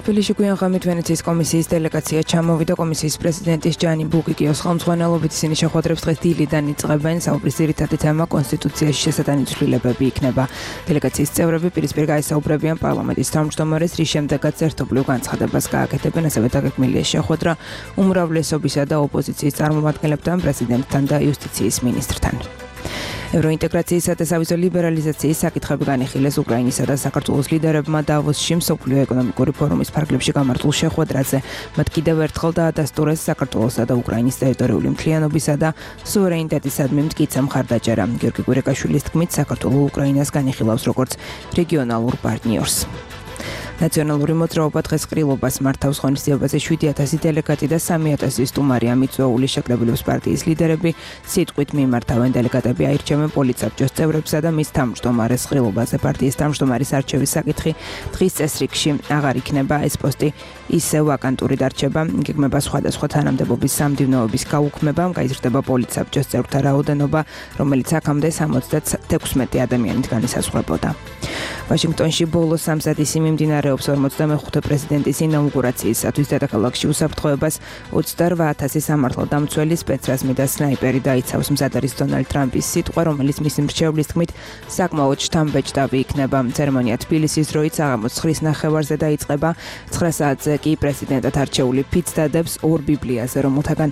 Speaker 2: თბილისში გვიან ღამით ვენეციის კომისიის დელეგაცია ჩამოვიდა. კომისიის პრეზიდენტის ჯანი ბუკიკიოს ხელმძღვანელობით ისინი შეხვედრებს დღეს დილიდან იწყებენ. საუბრის ძირითადი თემა კონსტიტუციაში შესატანი ცვლილებები იქნება. დელეგაციის წევრები პირისპირ გაესაუბრებიან პარლამენტის თავმჯდომარეს, რის შემდეგაც ერთობლივ განცხადებას გააკეთებენ. ასევე დაგეგმილია შეხვედრა უმრავლესობისა და ოპოზიციის წარმომადგენლებთან, პრეზიდენტთან და იუსტიციის მინისტრთან. ევროინტეგრაციისა და სავიზო ლიბერალიზაციის საკითხები განიხილეს უკრაინისა და საქართველოს ლიდერებმა დავოსში მსოფლიო ეკონომიკური ფორუმის ფარგლებში გამართულ შეხვედრაზე. მათ კიდევ ერთხელ დაადასტურეს საქართველოსა და უკრაინის ტერიტორიული მთლიანობისა და სუვერენიტეტისადმი მტკიცე მხარდაჭერა. გიორგი გურეკაშვილის თქმით, საქართველო უკრაინას განიხილავს როგორც რეგიონალურ პარტნიორს. ნაციონალური მოძრაობა დღეს ყრილობას მართავს. ღონისძიებაზე 7000 დელეგატი და 3000 სტუმარი, ამიწვეული შეკრებილების პარტიის ლიდერები სიტყვით მიმართავენ. დელეგატები აირჩევენ პოლიტსაბჭოს წევრებსა და მის თავმჯდომარეს. ყრილობაზე პარტიის თავმჯდომარის არჩევის საკითხი დღის წესრიგში აღარ იქნება. ეს პოსტი ისევ ვაკანტური დარჩება. იგეგმება სხვადასხვა თანამდებობის სამდივნოების გაუქმება, გაიზრდება პოლიტსაბჭოს წევრთა რაოდენობა, რომელიც აქამდე 76 ადამიანით განისაზღვრებოდა. ვაშინგტონში ბოლო სამსადისი მიმდინარეობს 45 პრეზიდენტის ინაუგურაციისათვის. დედაქალაქში უსაფრთხოებას 28,000 სამართალდამცველი, სპეცრაზმი და სნაიპერი დაიცავს. მზად არის დონალდ ტრამპის სიტყვა, რომელიც მისი მრჩევლის თქმით საკმაოდ შთამბეჭდავი იქნება. ცერემონია თბილისის დროით საღამოს 9:30-ზე დაიწყება. 9 საათზე კი პრეზიდენტად არჩეული ფიც დადებს 2 ბიბლიაზე, რომელთაგან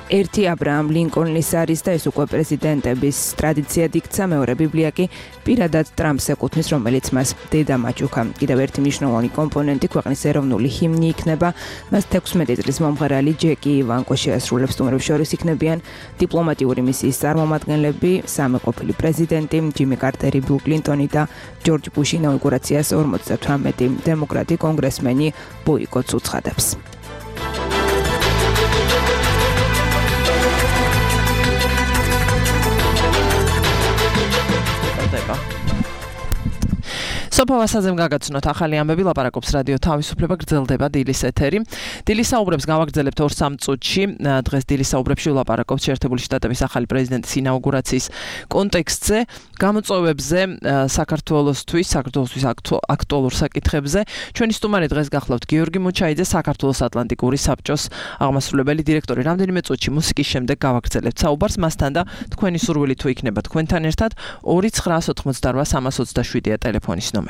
Speaker 2: ერთი აბრაამ ლინკოლნის არის და ეს უკვე პრეზიდენტების ტრადიციად იქცა. მეორე ბიბლია კი პირადად ტრამპს ეკუთვნის, რომელიც მას დედა მაჩუქა. კიდევ ერთი მნიშვნელოვანი კომპონენტი ქვეყნის ეროვნული ჰიმნი იქნება. მას 16 წლის მომღერალი ჯეკი ივანკო შეასრულებს. სტუმრებს შორის იქნებიან დიპლომატიური მისიის წარმომადგენლები, სამი ყოფილი პრეზიდენტი, ჯიმი კარტერი, ბილ კლინტონი და ჯორჯ ბუში. ინაუგურაციას 58 დემოკრატი კონგრესმენი ბოიკოტს უცხადებს. სოფო ვასაძემ გაგაცნოთ ახალი ამბები, ლაპარაკობს რადიო თავისუფლება, გრძელდება დილის ეთერი. დილის საუბრებს გავაგრძელებთ 2-3 წუთში. დღეს დილის საუბრებში ვლაპარაკობთ შეერთებული შტატების ახალი პრეზიდენტის ინაუგურაციის კონტექსტზე, გამოწვევებზე, საქართველოსთვის აქტუალურ საკითხებზე. ჩვენი სტუმარი დღეს გახლავთ გიორგი მუჩაიძე, საქართველოს ატლანტიკური საბჭოს აღმასრულებელი დირექტორი. რამდენიმე წუთში მუსიკის შემდეგ გავაგრძელებთ საუბარს მასთან და თქვენი სურვილი თუ იქნება თქვენთან ერთად 2-988-327 ტელეფონის ნომერი.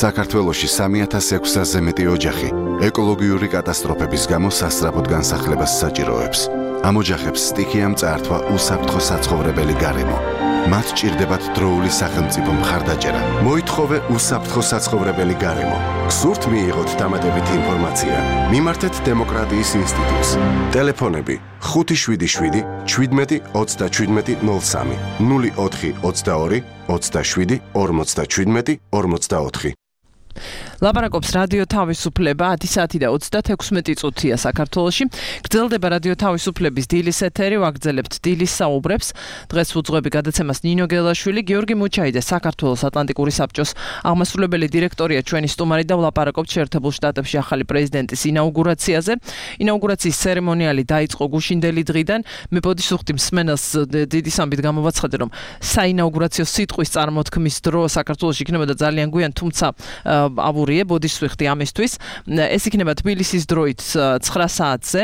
Speaker 6: საქართველოში 3600-ზე მეტი ოჯახი ეკოლოგიური კატასტროფების გამო სასწრაფოდ განსახლებას საჭიროებს. ამ ოჯახებს სტიქიამ წაართვა უსაფრთხო საცხოვრებელი გარემო. მათ ჭირდებათ დროული სახელმწიფო მხარდაჭერა. მოითხოვე უსაფრთხო საცხოვრებელი გარემო. სურთ მიიღოთ დამატებითი ინფორმაცია. მიმართეთ დემოკრატიის ინსტიტუტს. ტელეფონები 577 17 37 03 04 22 27 57 24.
Speaker 3: ლაპარაკობს რადიო თავისუფლება 10 საათი და 36 წუთია საქართველოში. გრძელდება რადიო თავისუფლების დილის ეთერი, ვაგრძელებთ დილის საუბრებს. დღეს უძღვები გადაცემას ნინო გელაშვილი, გიორგი მუჩაიდე, საქართველოს ატლანტიკური საბჭოს აღმასრულებელი დირექტორია ჩვენი სტუმარი და ვლაპარაკობთ შეერთებულ შტატებში ახალი პრეზიდენტის ინაუგურაციაზე. ინაუგურაციის ცერემონიალი დაიწყო გუშინდელი დღიდან. მე ბოდიშუხტი მსმენელს დიდი სამბით გამოვაცხადე, რომ საინაუგურაციო სიტყვის წარმოთქმის დრო საქართველოში იქნებოდა ძალიან გვიან, თუმცა აბურიე ბოდისვიხტი ამისთვის. ეს იქნება თბილისის დროით 9 საათზე,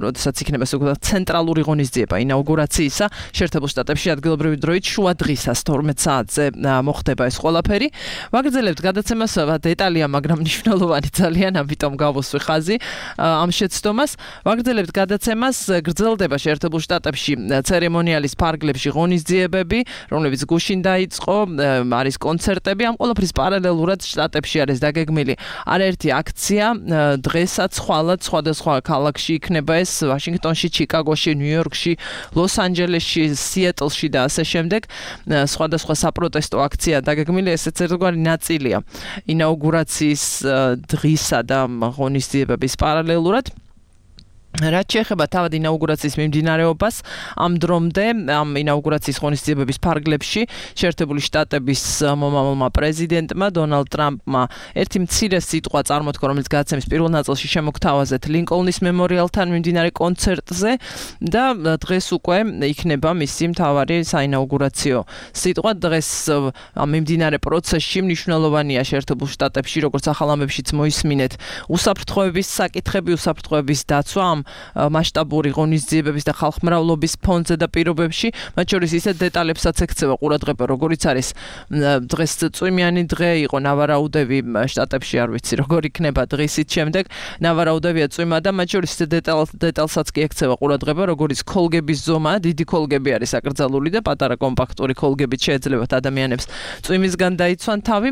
Speaker 3: როდესაც იქნება ცენტრალური ღონისძიება ინაუგურაციისა. შეერთებულ შტატებში ადგილობრივი დროით შუა დღისას 12 საათზე მოხდება ეს ყველაფერი. ვაგრძელებთ გადაცემას, დეტალია, მაგრამ მნიშვნელოვანი ძალიან, ამიტომ გავუსვი ხაზი ამ შეცდომას. ვაგრძელებთ გადაცემას, გრძელდება შეერთებულ შტატებში ცერემონიალის ფარგლებში ღონისძიებები, რომლებიც გუშინ დაიწყო, არის კონცერტები, ამ ყველაფრის პარალელურად შტატებში არის დაგეგმილი არაერთი აქცია. დღესაც ხვალად სხვადასხვა ქალაქში იქნება ეს, ვაშინგტონში, ჩიკაგოში, ნიუ-იორკში, ლოს-ანჯელესში, სიეტლში და ასე შემდეგ. სხვადასხვა საპროტესტო აქცია დაგეგმილი, ესეც ერთგვარი ნაწილია ინაუგურაციის დღისა და ღონისძიებების პარალელურად. რაც შეეხება თავად ინაუგურაციის მიმდინარეობას, ამ დრომდე ამ ინაუგურაციის ღონისძიებების ფარგლებში შეერთებული შტატების მომავალმა პრეზიდენტმა დონალდ ტრამპმა ერთი მცირე სიტყვა წარმოთქვა, რომელიც გადაცემის პირველ ნაწილში შემოგთავაზეთ ლინკოლნის მემორიალთან მიმდინარე კონცერტზე და დღეს უკვე იქნება მისი მთავარი საინაუგურაციო სიტყვა. დღეს ამ მიმდინარე პროცესში მნიშვნელოვანია შეერთებულ შტატებში, როგორც ახალ ამბებშიც მოისმინეთ, უსაფრთხოების საკითხები, უსაფრთხოების დაცვა მასშტაბური ღონისძიებების და ხალხმრავლობის ფონზე და პირობებში, მათ შორის ისეთ დეტალებსაც ექცევა ყურადღება, როგორიც არის დღეს წვიმიანი დღე იყო ნავარაუდები შტატებში, არ ვიცი როგორ იქნება დღისით შემდეგ, ნავარაუდებია წვიმა და მათ შორის ისეთ დეტალსაც კი ექცევა ყურადღება, როგორიც ქოლგების ზომა, დიდი ქოლგები არის აკრძალული და პატარა კომპაქტური ქოლგებით შეეძლებათ ადამიანებს წვიმისგან დაიცვან თავი.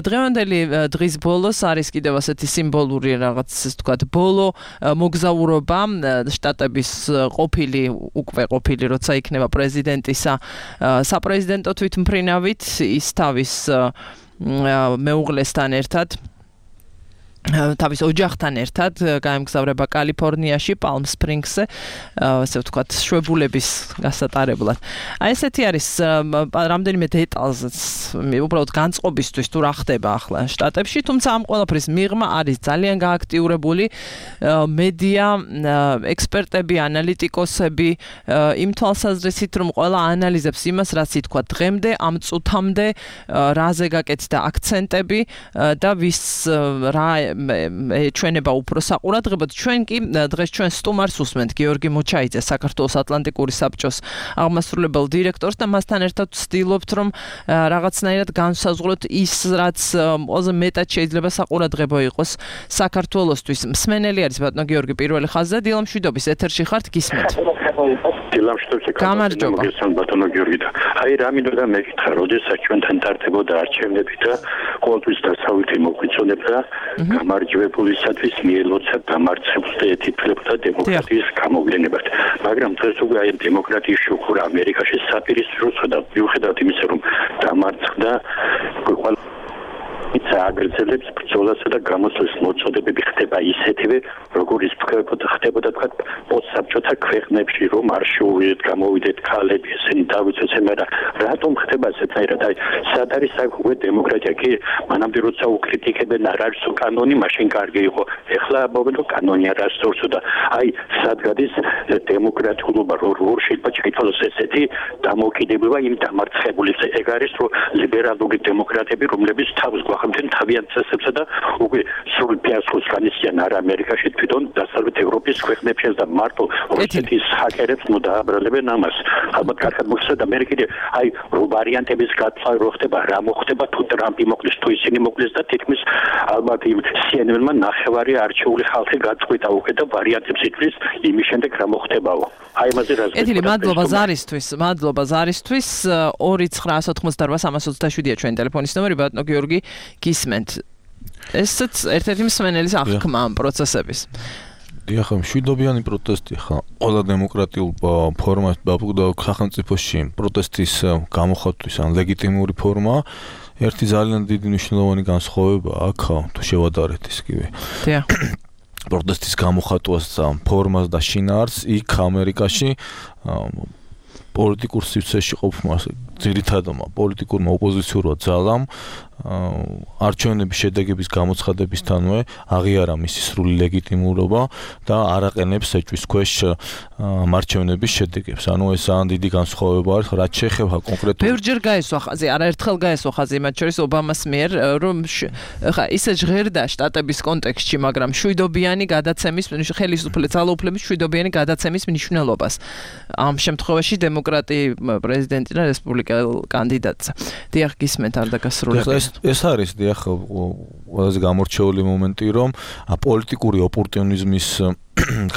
Speaker 3: დღევანდელი დღის ბოლოს არის კიდევ ასეთი სიმბოლური რაღაც, ესე ვთქვათ, ბოლო მოგზაურობა შტატების უკვე ყოფილი, როცა იქნება პრეზიდენტისა საპრეზიდენტო თვითმფრინავით, ის თავის მეუღლესთან ერთად, თავის ოჯახთან ერთად გაემგზავრება კალიფორნიაში, პალმ სპრინგსზე, ასე ვთქვათ, შვებულების გასატარებლად. აი ესეთი არის რამდენიმე დეტალზეც, უბრალოდ განწყობისთვის თუ რა ხდება ახლა შტატებში, თუმცა ამ ყველაფრის მიღმა არის ძალიან გააქტიურებული მედია, ექსპერტები, ანალიტიკოსები, იმ თვალსაზრისით, რომ ყველა ანალიზებს იმას, რაც ითქვა დღემდე, ამ წუთამდე, რაზე გაკეთდა აქცენტები და ვის რა ჩვენება უფრო საყურადღებოდ. ჩვენ კი დღეს ჩვენ სტუმარს უსმენთ გიორგი მუჩაიძე, საქართველოს ატლანტიკური საბჭოს აღმასრულებელ დირექტორს და მასთან ერთად ვცდილობთ, რომ რაღაცნაირად განსაზღვროთ ის, რაც ყველაზე მეტად შეიძლება საყურადღებო იყოს საქართველოსთვის. მსმენელი არის ბატონო გიორგი პირველი ხაზზე, დილამშვიდობის ეთერში ხართ, გისმენთ.
Speaker 7: დილამშვიდობის
Speaker 3: გამარჯობა.
Speaker 7: ბატონო გიორგი და აი რა მინდოდა მეკითხა, როდესაც ჩვენთან ტარდებოდა არჩევნები და ყოველთვის დასავლეთი მოგვიწონებდა გამარჯვებულისათვის მიელოცა დამარცხებულს და ეთიფლებოდა დემოკრატიის გამოვლენებად. მაგრამ დღეს უკვე აი დემოკრატიის შუქურა ამერიკაში საპირისპიროა და მიუხედავად იმისა, რომ დამარცხდა აგრძელებს ბრძოლასა და გამოსვლის მოწოდებები ხდება ისეთივე, როგორიც ხდებოდა თქვა პოსტსაბჭოთა ქვეყნებში, რომ არ შეუვიდეთ, გამოვიდეთ ქალები, ესენი დავიცვათ, მაგრამ რატომ ხდება ესეთაირად? აი, სად არის უკვე დემოკრატია? კი, მანამდე როცა უკრიტიკებენ არ არის კანონი, მაშინ კარგი იყო. ეხლა ამბობენ, რომ კანონი არ არსებობს და აი, სად გადის დემოკრატიულობა, როგორ შეიძლება ჩაითვალოს ესეთი დამოკიდებულება იმ დამარცხებულის? ეგ არის, რომ ლიბერალური დემოკრატები, რომლებიც თავს გვახმდნენ თავიანთ წესებსა და უკვე სრულ ფიასკოს განიცდიან არა ამერიკაში, თვითონ დასავლეთ ევროპის ქვეყნებში და მარტო რუსეთის ჰაკერებს დააბრალებენ ამას. ალბათ კარგად მოხსნა და მე კიდე აი ვარიანტების გათვლა რო ხდება, რა მოხდება თუ ტრამპი მოკლის, თუ ისინი მოკლის და თითქმის ალბათ CNN-მა ნახევარი არჩეული ხალხი გაწყვიტა უკვე და ვარიანტებს ითვლის იმის შემდეგ რა მოხდებაო. აი ამაზე რა
Speaker 3: ეთილი მადლობა ზარისთვის 2988327-ია ჩვენი ტელეფონის ნომერი ბატონო გიორგი გისმენთ ესეც ერთ-ერთი მსმენელის აღქმა ამ პროცესების
Speaker 4: დიახ, მშვიდობიანი პროტესტი ხა ყველა დემოკრატიულ ფორმას სახელმწიფოში პროტესტის გამოხატვის ან ლეგიტიმური ფორმა ერთი ძალიან დიდი მნიშვნელოვანი განსხვავება აქ თუ შევადარეთ ისკივე.
Speaker 3: დიახ.
Speaker 4: პროტესტის გამოხატვას ფორმას და შინაარსს იქ ამერიკაში პოლიტიკურ სივრცეში ყოფნა ძირითადმა პოლიტიკურმა ოპოზიციურმა ძალამ არჩევნების შედეგების გამოცხადებისთანვე აღიარა მისი სრული ლეგიტიმურობა და არ აყენებს ეჭვის ქვეშ არჩევნების შედეგებს. ანუ ეს ძალიან დიდი განსხვავება არის, რაც შეეხება კონკრეტულად.
Speaker 3: ბევრჯერ გაესვა ხაზი, არაერთხელ გაესვა ხაზი მათ შორის ობამას მიერ, რომ ხა ისე ჟღერდა შტატების კონტექსტში, მაგრამ მშვიდობიანი გადაცემის ძალაუფლების მშვიდობიანი გადაცემის მნიშვნელობას. ამ შემთხვევაში დემოკრატი პრეზიდენტი და რესპუბლიკელ კანდიდატს. დიახ, გისმენთ არ დაგასრულებია.
Speaker 4: ეს არის დიახ ყველაზე გამორჩეული მომენტი, რომ პოლიტიკური ოპორტუნიზმის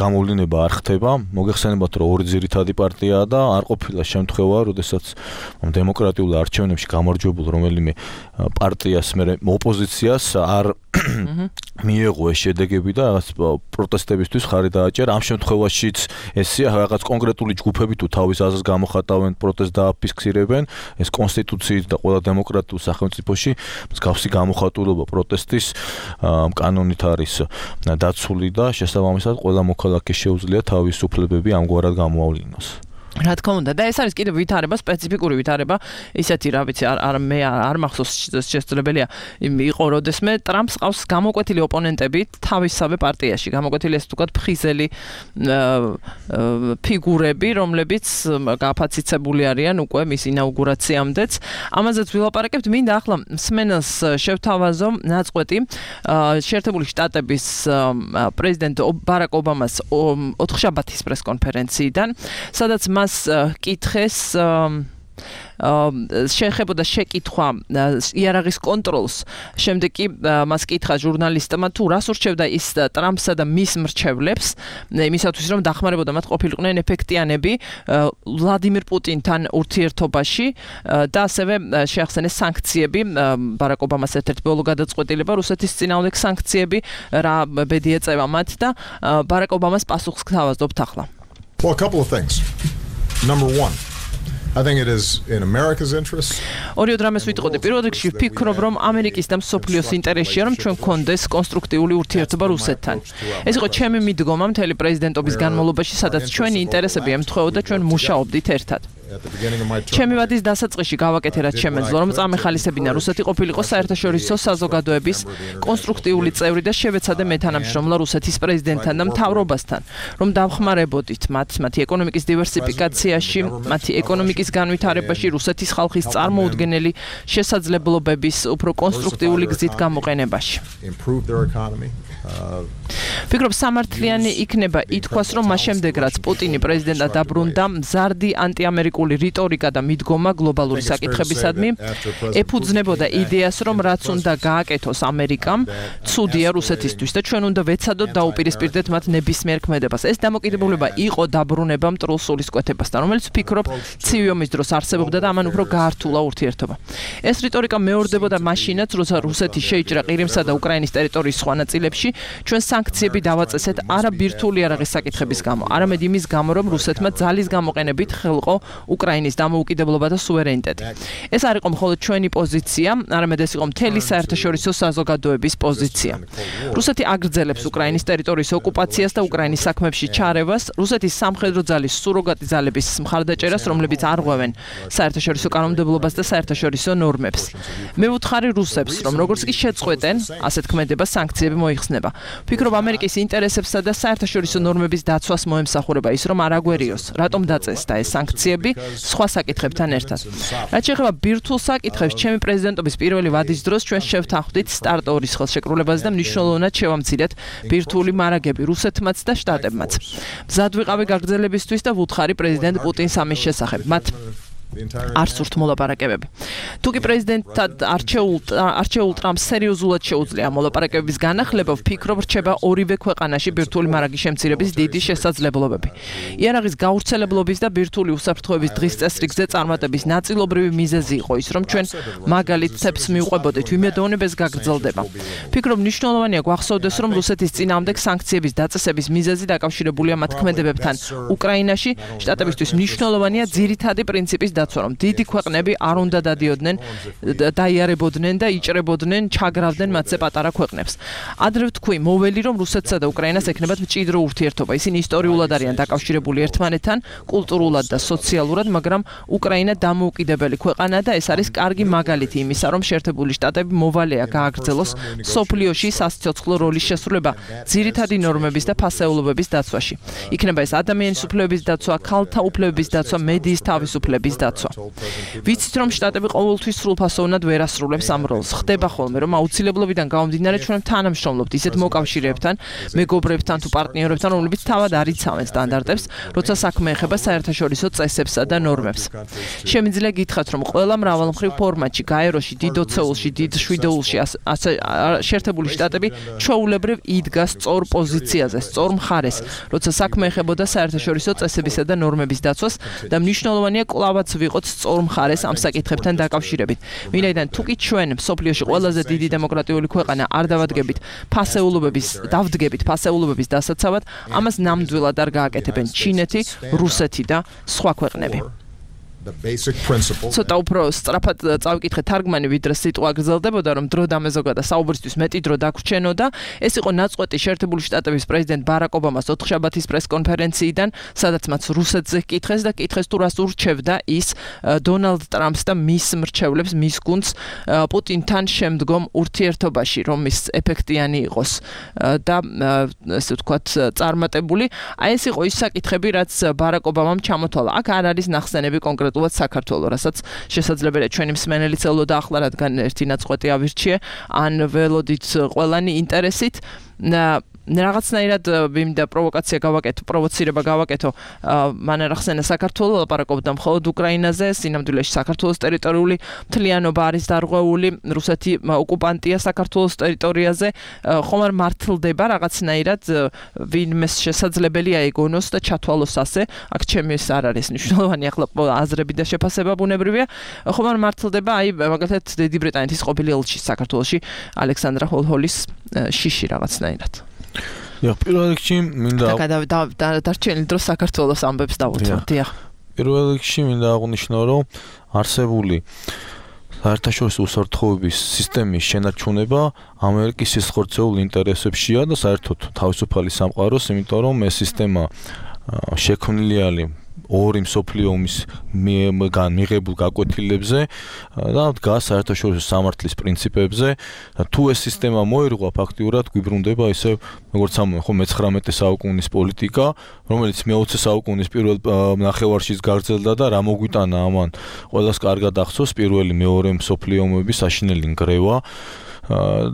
Speaker 4: გამოვლინება არ ხდება. მოგეხსენებათ, რომ ორი ძირითადი პარტიაა და არ ყოფილა შემთხვევა, როდესაც დემოკრატიულ არჩევნებში გამარჯვებულ რომელიმე პარტიას მე ოპოზიციას არ მიეღო ეს შედეგები და რაღაც პროტესტებისთვის ხარი დააჭერა. ამ შემთხვევაშიც ესეა რაღაც კონკრეტული ჯგუფები თუ თავის აზრს გამოხატავენ, პროტესტს დააფიქსირებენ, ეს კონსტიტუციით და ყველა დემოკრატიულ სახელმწიფოში მსგავსი გამოხატულობა პროტესტის კანონით არის დაცული და შესაბამისად ყველა მოქალაქეს შეუძლია თავის უფლებები ამგვარად გამოავლინოს.
Speaker 3: რა თქმა უნდა და ეს არის კიდევ ვითარება, სპეციფიკური ვითარება, ისეთი რა ვიცი, არ მახსოვს შესაძლებელია იყო როდესმე ტრამპს ყავს გამოკვეთილი ოპონენტები თავისსავე პარტიაში, გამოკვეთილი ეს თუკად ფხიზელი ფიგურები, რომლებიც გაფაციცებული არიან უკვე მის ინაუგურაციამდეც. ამაზეც ვილაპარაკებთ, მინდა ახლა მსმენელს შევთავაზო ნაწყვეტი შეერთებული შტატების პრეზიდენტ ბარაკ ობამას 4-შაბათის პრესკონფერენციიდან, სადაც მას კითხეს შეეხებოდა შეკითხვა იარაღის კონტროლს. შემდეგ კი მას კითხა ჟურნალისტმა თუ რას ურჩევდა ის ტრამპსა და მის მრჩევლებს იმისათვის რომ დახმარებოდა მათ ყოფილიყვნენ ეფექტიანები ვლადიმირ პუტინთან ურთიერთობაში და ასევე შეახსენეს სანქციები. ბარაკ ობამას ერთ-ერთი ბოლო გადაწყვეტილება რუსეთის წინააღმდეგ სანქციები რა ბედი ეწევა მათ და ბარაკ ობამას პასუხს გთავაზობთ ახლა.
Speaker 8: Well, a couple of things. Number one, I think it is in America's interest.
Speaker 3: ორი დრამეს ვიტყოდი. პირველ რიგში ვფიქრობ, რომ ამერიკის და მსოფლიოს ინტერესია, რომ ჩვენ გქონდეს კონსტრუქტიული ურთიერთობა რუსეთთან. ეს იყო ჩემი მიდგომა მთელი პრეზიდენტობის განმავლობაში, სადაც ჩვენი ინტერესები ემთხვეოდა, ჩვენ მუშაობდით ერთად. ჩემი ვადის დასაწყისში გავაკეთე რაც შემეძლო, რომ წამეხალისებინა რუსეთი ყოფილიყო საერთაშორისო საზოგადოების კონსტრუქტიული წევრი და შევეცადე მეთანამშრომლა რუსეთის პრეზიდენტთან და მთავრობასთან, რომ დავხმარებოდით მათი ეკონომიკის დივერსიფიკაციაში, მათი ეკონომიკის განვითარებაში, რუსეთის ხალხის წარმოუდგენელი შესაძლებლობების უფრო კონსტრუქტიული გზით გამოყენებაში. ვფიქრობ, სამართლიანი იქნება ითქვას, რომ მას შემდეგ რაც პუტინი პრეზიდენტად დაბრუნდა, მზარდი ანტიამერიკული რიტორიკა და მიდგომა გლობალური საკითხებისადმი ეფუძნებოდა იდეას, რომ რაც უნდა გააკეთოს ამერიკამ, ცუდია რუსეთისთვის და ჩვენ უნდა ვეცადოთ დაუპირისპირდეთ მათ ნებისმიერ ქმედებას. ეს დამოკიდებულება იყო დაბრუნება მტრულ სულისკვეთებასთან, რომელიც ვფიქრობ, ცივი ომის დროს არსებობდა და ამან უფრო გაართულა ურთიერთობა. ეს რიტორიკა მეორდებოდა მაშინაც, როცა რუსეთი შეიჭრა ყირიმსა და უკრაინის ტერიტორიის სხვა ნაწილებში, ჩვენ სანქციები დავაწესეთ არა ბირთვული იარაღის საკითხების გამო, არამედ იმის გამო, რომ რუსეთმა ძალის გამოყენებით ხელყო უკრაინის დამოუკიდებლობა და სუვერენიტეტი. ეს არ იყო მხოლოდ ჩვენი პოზიცია, არამედ ეს იყო მთელი საერთაშორისო საზოგადოების პოზიცია. რუსეთი აგრძელებს უკრაინის ტერიტორიის ოკუპაციას და უკრაინის საქმეებში ჩარევას, რუსეთის სამხედრო ძალის სუროგატი ძალების მხარდაჭერას, რომლებიც არღვევენ საერთაშორისო კანონმდებლობას და საერთაშორისო ნორმებს. მე ვუთხარი რუსებს, რომ როგორც კი შეწყვეტენ ასეთ ქმედებას, სანქციები მოიხსნება. გრძელდება. ვფიქრობ ამერიკის ინტერესებსა და საერთაშორისო ნორმების დაცვას მოემსახურება ის, რომ არ აგვერიოს, რატომ დაწესდა ეს სანქციები სხვა საკითხებთან ერთად. რაც შეეხება ბირთვულ საკითხებს, ჩემი პრეზიდენტობის პირველი ვადის დროს ჩვენ შევთანხმდით სტარტორის ხელშეკრულებას და მნიშვნელოვნად შევამცირეთ ბირთვული მარაგები რუსეთმაც და შტატებმაც. მზად ვიყავი გაგრძელებისთვის და ვუთხარი პრეზიდენტ პუტინს ამის შესახებ. მათ არ სურთ მოლაპარაკებები. თუკი პრეზიდენტად არჩეულ ტრამპს სერიოზულად შეუძლია მოლაპარაკებების განახლება, ვფიქრობ, რჩება ორივე ქვეყანაში ბირთვული მარაგის შემცირების დიდი შესაძლებლობები. იარაღის გავრცელებლობის და ბირთვული უსაფრთხოების დღის წესრიგზე წარმატების ნაწილობრივი მიზეზი იყო ის, რომ ჩვენ მაგალითებს მივყვებოდით, ვიმედოვნებ ეს გაგრძელდება. ვფიქრობ, მნიშვნელოვანია გვახსოვდეს, რომ რუსეთის წინააღმდეგ სანქციების დაწესების მიზეზი დაკავშირებულია მათ ქმედებებთან უკრაინაში. შტატებისთვის მნიშვნელოვანია ძირითადი პრინციპის დაცვა, რომ დიდი ქვეყნები არ უნდა დადიოდნენ, დაიარებოდნენ და იჭრებოდნენ, ჩაგრავდნენ მათზე პატარა ქვეყნებს. ადრე ვთქვი, მოველი, რომ რუსეთსა და უკრაინას ექნებათ მჭიდრო ურთიერთობა. ისინი ისტორიულად არიან დაკავშირებული ერთმანეთთან, კულტურულად და სოციალურად, მაგრამ უკრაინა დამოუკიდებელი ქვეყანაა და ეს არის კარგი მაგალითი იმისა, რომ შეერთებული შტატები მოვალეა გააგრძელოს სოფლიოში სასიცოცხლო როლის შესრულება ძირითადი ნორმების და ფასეულობების დაცვაში. იქნება ეს ადამიანის უფლებების დაცვა, ქალთა უფლებების დაცვა, მედიის თავისუფლების დაცვა. ვიცით, რომ შტატები ყოველთვის სრულფასოვნად ვერ ასრულებს ამ როლს. ხდება ხოლმე, რომ აუცილებლობიდან გამომდინარე ჩვენ თანამშრომლობთ ისეთ მოკავშირეებთან, მეგობრებთან თუ პარტნიორებთან, რომლებიც თავად არ იცავენ სტანდარტებს, როცა საქმე ეხება საერთაშორისო წესებსა და ნორმებს. შემიძლია გითხრათ, რომ ყველა მრავალმხრივ ფორმატში, გაეროში, დიდ ოცეულში, დიდ შვიდეულში, შეერთებული შტატები ჩვეულებრივ იდგა სწორ პოზიციაზე, სწორ მხარეს, როცა საქმე ეხებოდა საერთაშორისო წესებისა და ნორმების დაცვას და მნიშვნელოვანია კლავაც ვიყოთ სწორ მხარეს ამ საკითხებთან დაკავშირებით. ვინაიდან თუკი ჩვენ მსოფლიოში ყველაზე დიდი დემოკრატიული ქვეყანა არ დავდგებით ფასეულობების დასაცავად, ამას ნამდვილად არ გააკეთებენ ჩინეთი, რუსეთი და სხვა ქვეყნები. ცოტა უფრო სწრაფად წავიკითხე თარგმანი, ვიდრე სიტყვა გრძელდებოდა, რომ დრო დამეზოგა და საუბრისთვის მეტი დრო დაგვრჩენოდა. ეს იყო ნაწყვეტი შეერთებული შტატების პრეზიდენტ ბარაკ ობამას ოთხშაბათის პრესკონფერენციიდან, სადაც მათ რუსეთზე კითხეს და კითხეს თუ რას ურჩევდა ის დონალდ ტრამპს და მის მრჩევლებს, მის გუნდს პუტინთან შემდგომ ურთიერთობაში, რომ ის ეფექტიანი იყოს და ესე ვთქვათ წარმატებული. აი ეს იყო ის საკითხები, რაც ბარაკ ობამამ ჩამოთვალა. აქ არ არის ნახსენები კონკრეტულად საქართველოს, რასაც შესაძლებელია ჩვენი მსმენელიც ელოდა ახლა, რადგან ერთი ნაწყვეტი ავირჩიე, ან ველოდით ყველანი ინტერესით. რაღაცნაირად მინდა პროვოცირება გავაკეთო. მან ახსენა საქართველოს, ლაპარაკობდა მხოლოდ უკრაინაზე, სინამდვილეში საქართველოს ტერიტორიული მთლიანობა არის დარღვეული, რუსეთი ოკუპანტია საქართველოს ტერიტორიაზე, ხომ არ მართლდება რაღაცნაირად, ვინმეს შესაძლებელია ეგონოს და ჩათვალოს ასე. აქ ჩემი ეს არ არის მნიშვნელოვანი, ახლა აზრები და შეფასება ბუნებრივია. ხომ არ მართლდება, აი მაგალითად დიდი ბრიტანეთის ყოფილი ელჩი საქართველოში, ალექსანდრა ჰოლჰოლის შიში რაღაცნაირად.
Speaker 4: პირველ რიგში მინდა
Speaker 3: დარჩენილი დრო საქართველოს ამბებს დავუთმოთ. დიახ.
Speaker 4: პირველ რიგში მინდა აღვნიშნო, რომ არსებული საერთაშორისო უსაფრთხოების სისტემის შენარჩუნება ამერიკის სისხლძეულ ინტერესებშია და საერთოდ თავისუფალი სამყაროს, იმიტომ რომ ეს სისტემა შექმნილი არის ორი მსოფლიო ომის მიღებულ გაკვეთილებზე და დგას საერთაშორისო სამართლის პრინციპებზე. თუ ეს სისტემა მოირღვა, ფაქტიურად გვიბრუნდება ისე, როგორც ამბობენ, ხო, მე-19 საუკუნის პოლიტიკა, რომელიც მე-20 საუკუნის პირველ ნახევარშიც გაგრძელდა და რა მოგვიტანა ამან ყველას კარგად ახსოვს პირველი მეორე მსოფლიო ომების საშინელი ნგრევა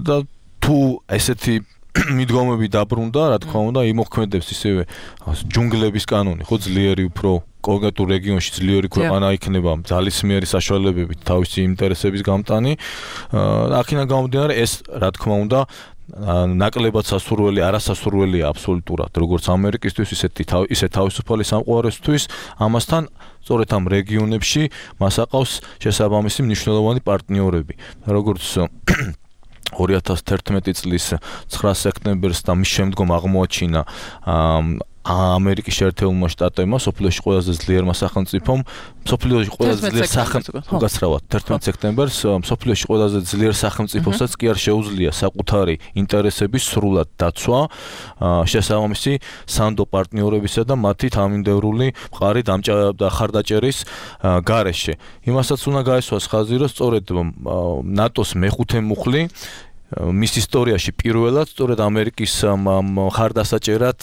Speaker 4: და თუ ესეთი მიდგომები დაბრუნდა, რა თქმა უნდა, იმოქმედებს ისევე ჯუნგლების კანონი, ხო, ძლიერი უფრო კონკრეტულ რეგიონში ძლიერი ქვეყანა იქნება ძალისმიერი საშუალებებით თავისი ინტერესების გამტანი. აქედან გამომდინარე, ეს რა თქმა უნდა ნაკლებად სასურველი, არასასურველია აბსოლუტურად, როგორც ამერიკისთვის, ისე თავისუფალი სამყაროსთვის. ამასთან სწორედ ამ რეგიონებში მას აყავს შესაბამისი მნიშვნელოვანი პარტნიორები, როგორც 2011 წლის 9 სექტემბერს და მის შემდგომ აღმოაჩინა ამერიკის შეერთებულმა შტატებმა, სოფლიოში ყველაზე ძლიერმა სახელმწიფომ, სოფლიოში ყველაზე ძლიერ სახელმწიფო, გასწრავად 11 სექტემბერს, სოფლიოში ყველაზე ძლიერ სახელმწიფოსაც კი არ შეუძლია საკუთარი ინტერესების სრულად დაცვა, შესაბამისი სანდო პარტნიორებისა და მათი თანამიმდევრული მყარი ხარდაჭერის გარეშე. იმასაც უნდა გაესვას ხაზი, რომ სწორედ ნატოს მეხუთე მუხლი მის ისტორიაში პირველად სწორედ ამერიკის მხარდასაჭერად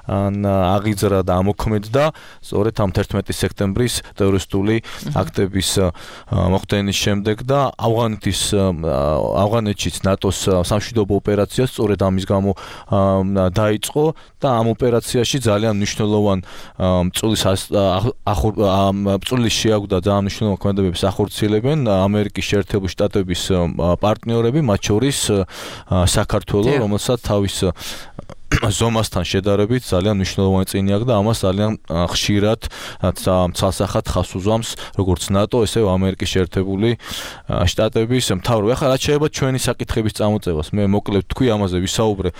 Speaker 4: აღიძრა და ამოქმედდა სწორედ ამ 11 სექტემბრის ტერორისტული აქტების მოხდენის შემდეგ და ავღანეთშიც ნატოს სამშვიდობო ოპერაცია სწორედ ამის გამო დაიწყო და ამ ოპერაციაში ძალიან მნიშვნელოვან წვლის შეაგვდა ძალიან მნიშვნელოვან ქმედებებს ახორციელებენ ამერიკის შეერთებული შტატების პარტნიორები, მათ შორის საქართველო, რომელსაც თავის ზომასთან შედარებით ძალიან მნიშვნელოვანი წინი აქვს და ამას ძალიან ხშირად ცალსახად ხაზს უზვამს როგორც ნატო, ესე ამერიკის შეერთებული შტატების მთავრობა. ახლა რაც შეეხება ჩვენი საკითხების წამოწევას, მე მოკლედ თქვი ამაზე ვისაუბრე.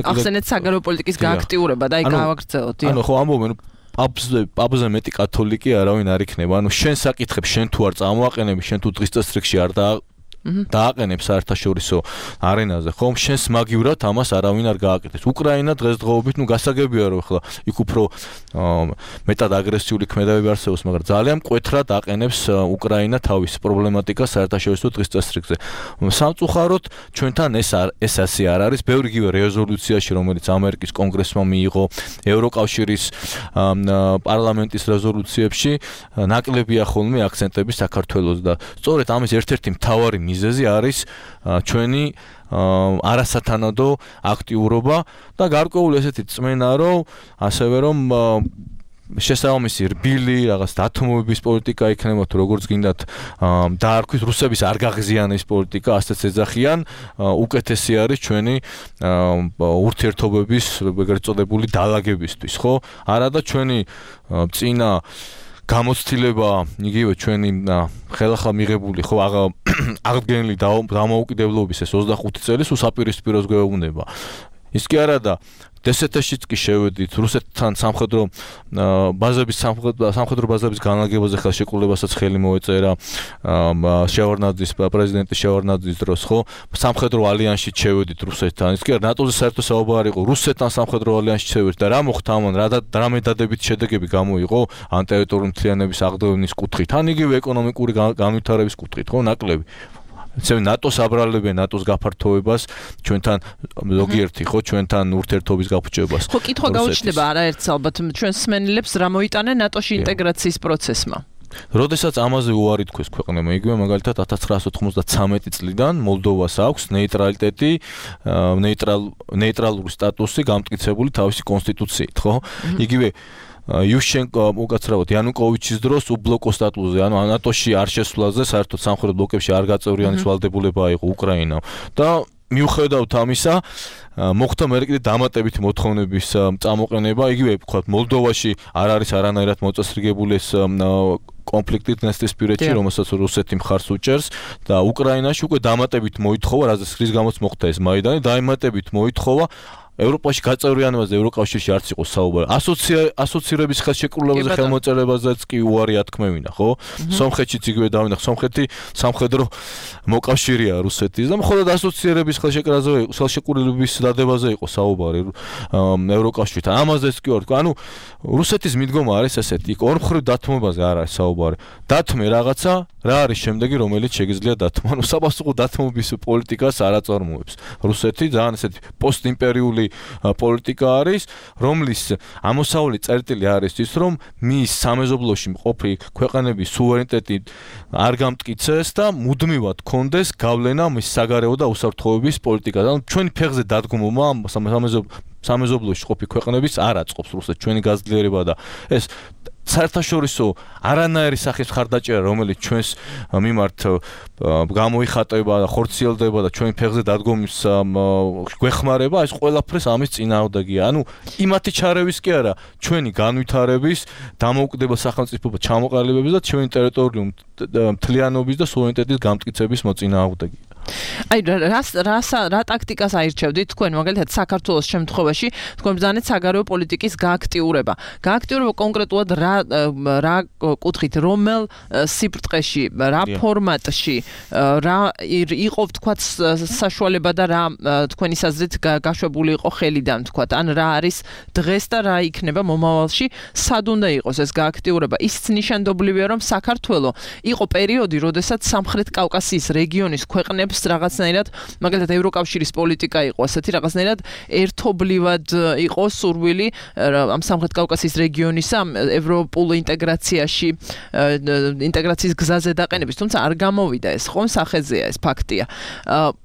Speaker 3: ახსენეთ საგარეო პოლიტიკის გააქტიურება და აი გავაგრძელოთ.
Speaker 4: ანუ ხო ამბობენ პაპზე მეტი კათოლიკე არავინ არ იქნება. ანუ შენ საკითხებს შენ თუ არ წამოაყენები, შენ თუ დღის წესრიგში არ დააყენებ საერთაშორისო არენაზე, ხომ? შენს მაგივრად ამას არავინ არ გააკეთებს. უკრაინა დღესდღეობით, გასაგებია რომ ახლა იქ უფრო მეტად აგრესიული ქმედებები არსებობს, მაგრამ ძალიან მკვეთრად აყენებს უკრაინა თავის პრობლემატიკას საერთაშორისო დღის წესრიგზე. სამწუხაროდ ჩვენთან ეს ასე არ არის. ბევრი იგივე რეზოლუციაში, რომელიც ამერიკის კონგრესმა მიიღო, ევროკავშირის პარლამენტის რეზოლუციებში ნაკლებია ხოლმე აქცენტები საქართველოს და სწორედ ამის ერთ-ერთი მთავარი მიზეზი არის ჩვენი არასათანადო აქტიურობა და გარკვეული ესეთი წმენა, რომ ასევე რომ შესაბამისი რბილი რაღაც დათმობების პოლიტიკა იქნება თუ როგორც გინდათ დაარქვით რუსების არ გაღიზიანების პოლიტიკა ასეც ეძახიან უკეთესი არის ჩვენი ურთიერთობების ეგრეთ წოდებული დალაგებისთვის ხო არა და ჩვენი წინა გამოცდილება იგივე ჩვენი ხელახლა მიღებული ხო აღდგენილი დამოუკიდებლობის ეს 25 წელი სულ საპირისპიროს გვეუბნება ის კი არა და დსთ-შიც კი შევედით რუსეთთან სამხედრო ბაზების განლაგებაზე ხელშეკრულებასაც ხელი მოეწერა შევარნაძის პრეზიდენტის შევარნაძის დროს ხო სამხედრო ალიანსში შევედით რუსეთთან ის კი არა ნატოზე საერთო საუბარი იყო რუსეთთან სამხედრო ალიანსში შევედით და რა მოხდა ამან რა მედადებით შედეგები გამოიღო ან ტერიტორიული მთლიანობის აღდგენის კუთხით ან იგივე ეკონომიკური განვითარების კუთხით ხო ნაკლები ნატოს აბრალებენ ნატოს გაფართოებას ჩვენთან ზოგიერთი ხო ჩვენთან ურთიერთობის გაფუჭებას
Speaker 3: ხო კითხვა გაუჩნდება არაერთს ალბათ ჩვენს მსმენელებს რა მოიტანენ ნატოში ინტეგრაციის პროცესმა
Speaker 4: როდესაც ამაზე უარი თქვეს ქვეყნებმა იგივე მაგალითად 1993 წლიდან მოლდოვას აქვს ნეიტრალიტეტი ნეიტრალური სტატუსი გამტკიცებული თავისი კონსტიტუციით ხო იგივე იუშენკო უკაცრავად იანუკოვიჩის დროს უბლოკო სტატუსზე ანუ ნატოში არ შესვლაზე საერთოდ სამხრეთ ბლოკებში არ გაწევრიანის ვალდებულება იყო უკრაინამ და მიუხედავად ამისა მოხდა მე კიდე დამატებითი მოთხოვნების წამოყენება იგივე ვთქვათ მოლდოვაში არ არის არანაირად მოწესრიგებული ეს კონფლიქტი დნესტრისპირეთში რომელსაც რუსეთი მხარს უჭერს და უკრაინაში უკვე დამატებით მოითხოვა რაზეც ხრის გამოც მოხდა ეს მაიდანი დამატებით მოითხოვა ევროპაში გაწევრიანებაზე ევროკავშირში არც იყო საუბარი. ასოცირების ხელშეკრულებაზე ხელმოწერებაზეც კი უარი ათქმევინა, ხო? სომხეთშიც იგივე დავინახე, სომხეთი სამხედრო მოკავშირეა რუსეთის და მხოლოდ ასოცირების ხელშეკრულების დადებაზე იყო საუბარი ევროკავშირთან. ამაზეც კი ვარ, ანუ რუსეთის მიდგომა არის ესეთი, იქ ორმხრივ დათმობაზე არ არის საუბარი. დათმე რაღაცა, რა არის შემდეგი, რომელიც შეგიძლია დათმო. ანუ საპასუხო დათმობის პოლიტიკას არ აწარმოებს. რუსეთი ძალიან ესეთი პოსტიმპერიული პოლიტიკა არის, რომლის ამოსავალი წერტილი არის ის, რომ მის სამეზობლოში მყოფი ქვეყანების სუვერენიტეტი არ გამტკიცეს და მუდმივად კონდეს გავლენა მის საგარეო და უსაფრთხოების პოლიტიკაზე. ანუ ჩვენი ფეხზე დადგმობა სამეზობლოში მყოფი ქვეყნების არ აწყობს რუსეთს ჩვენი გაძლიერება და ეს საერთაშორისო არანაირი სახის მხარდაჭერა რომელიც ჩვენს მიმართ გამოიხატება და ხორციელდება და ჩვენი ფეხზე დადგომის გვეხმარება ეს ყველაფერს ამის წინააღმდეგია. ანუ იმათი ჩარევის კი არა ჩვენი განვითარების დამოუკიდებელ სახელმწიფოებად ჩამოყალიბების და ჩვენი ტერიტორიული მთლიანობის და სუვერენიტეტის გამტკიცების მოწინააღმდეგია.
Speaker 3: აი რა ტაქტიკას აირჩევდით თქვენ მაგალითად საქართველოს შემთხვევაში თქვენ ბრძანეთ საგარეო პოლიტიკის გააქტიურება კონკრეტულად რა კუთხით რომელ სიბრტყეში რა ფორმატში რა იყო თქვათ საშუალება და რა თქვენი საზრით გაშვებული იყო ხელიდან თქვათ ან რა არის დღეს და რა იქნება მომავალში სად უნდა იყოს ეს გააქტიურება ისიც ნიშანდობლივია რომ საქართველო იყო პერიოდი როდესაც სამხრეთ კავკასიის რეგიონის ქვეყნებს ნიშნავს რაღაცნაირად, მაგალითად ევროკავშირის პოლიტიკა იყო ასეთი რაღაცნაირად ერთობლივად იყო სურვილი ამ სამხრეთ კავკასიის რეგიონის ევროპულ ინტეგრაციაში ინტეგრაციის გზაზე დაყენების, თუმცა არ გამოვიდა ეს, ხომ სახეზეა ეს ფაქტია.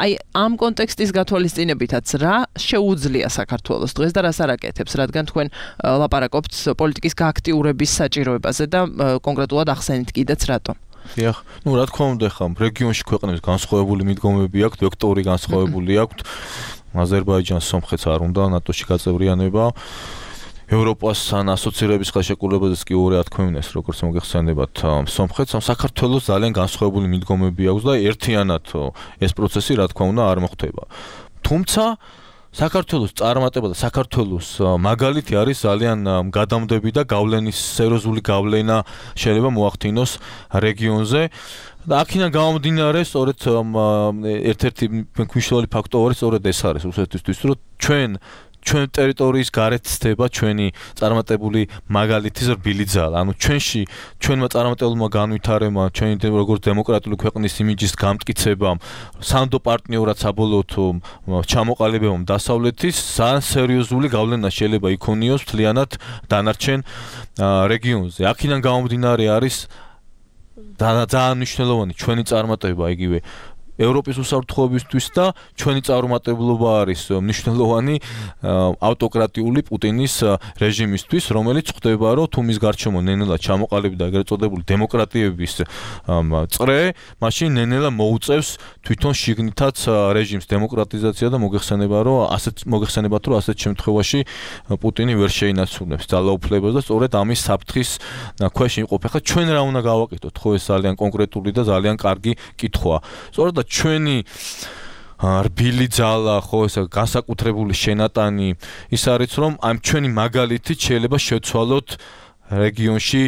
Speaker 3: აი ამ კონტექსტის გათვალისწინებითაც რა შეუძლია საქართველოს დღეს და რას არაკეთებს, რადგან თქვენ ლაპარაკობთ პოლიტიკის გააქტიურების საჭიროებაზე და კონკრეტულად ახსენით კიდეც რატომ?
Speaker 4: დიახ, რა თქმა უნდა, ხა რეგიონში ქვეყნებს განსხვავებული მიდგომები აქვთ, ვექტორი განსხვავებული აქვთ. აზერბაიჯანს, სომხეთს არ უნდა ნატოში გაწევრიანება. ევროპასთან ასოცირების ხელშეკრულებაზეც კი ორი ათქვევინეს, როგორც მოგეხსენებათ, სომხეთს, საქართველოს ძალიან განსხვავებული მიდგომები აქვს და ერთიანად ეს პროცესი, რა თქმა უნდა, არ მოხდება. თუმცა საქართველოს წარმატება და საქართველოს მაგალითი არის ძალიან გადამდები და გავლენის სერიოზული გავლენა შეიძლება მოახდინოს რეგიონზე. და აქედან გამომდინარე, სწორედ ერთ-ერთი მნიშვნელოვანი ფაქტორი სწორედ ეს არის რუსეთისთვის, რომ ჩვენ ტერიტორიის გარეთ ცდება ჩვენი წარმატებული მაგალითის რბილი ძალა. ანუ ჩვენმა წარმატებულმა განვითარებამ, ჩვენი როგორც დემოკრატიული ქვეყნის იმიჯის გამტკიცებამ, სანდო პარტნიორად საბოლოოდ ჩამოყალიბებამ დასავლეთის ძალიან სერიოზული გავლენა შეიძლება იქონიოს მთლიანად დანარჩენ რეგიონზე. აქედან გამომდინარე არის ძალიან მნიშვნელოვანი ჩვენი წარმატება იგივე ევროპის უსაფრთხოებისთვის და ჩვენი წარუმატებლობა არის მნიშვნელოვანი ავტოკრატიული პუტინის რეჟიმისთვის, რომელიც ხვდება, რომ თუ მის გარშემო ნენელა ჩამოყალიბდა ეგრეთ წოდებული დემოკრატიების წრე, მაშინ ნენელა მოუწევს თვითონ შიგნითაც რეჟიმის დემოკრატიზაცია და მოგეხსენებათ, რომ ასეთ შემთხვევაში პუტინი ვერ შეინაცვლებს ძალაუფლებას და სწორედ ამის საფრთხის ქვეშ იმყოფ. ახლა ჩვენ რა უნდა გავაკეთოთ? ხო, ეს ძალიან კონკრეტული და ძალიან კარგი კითხვაა. სწორედ ჩვენი რბილი ძალა, ხო, ეს განსაკუთრებული შენატანი ის არის, რომ ამ ჩვენი მაგალითით შეიძლება შევცვალოთ რეგიონში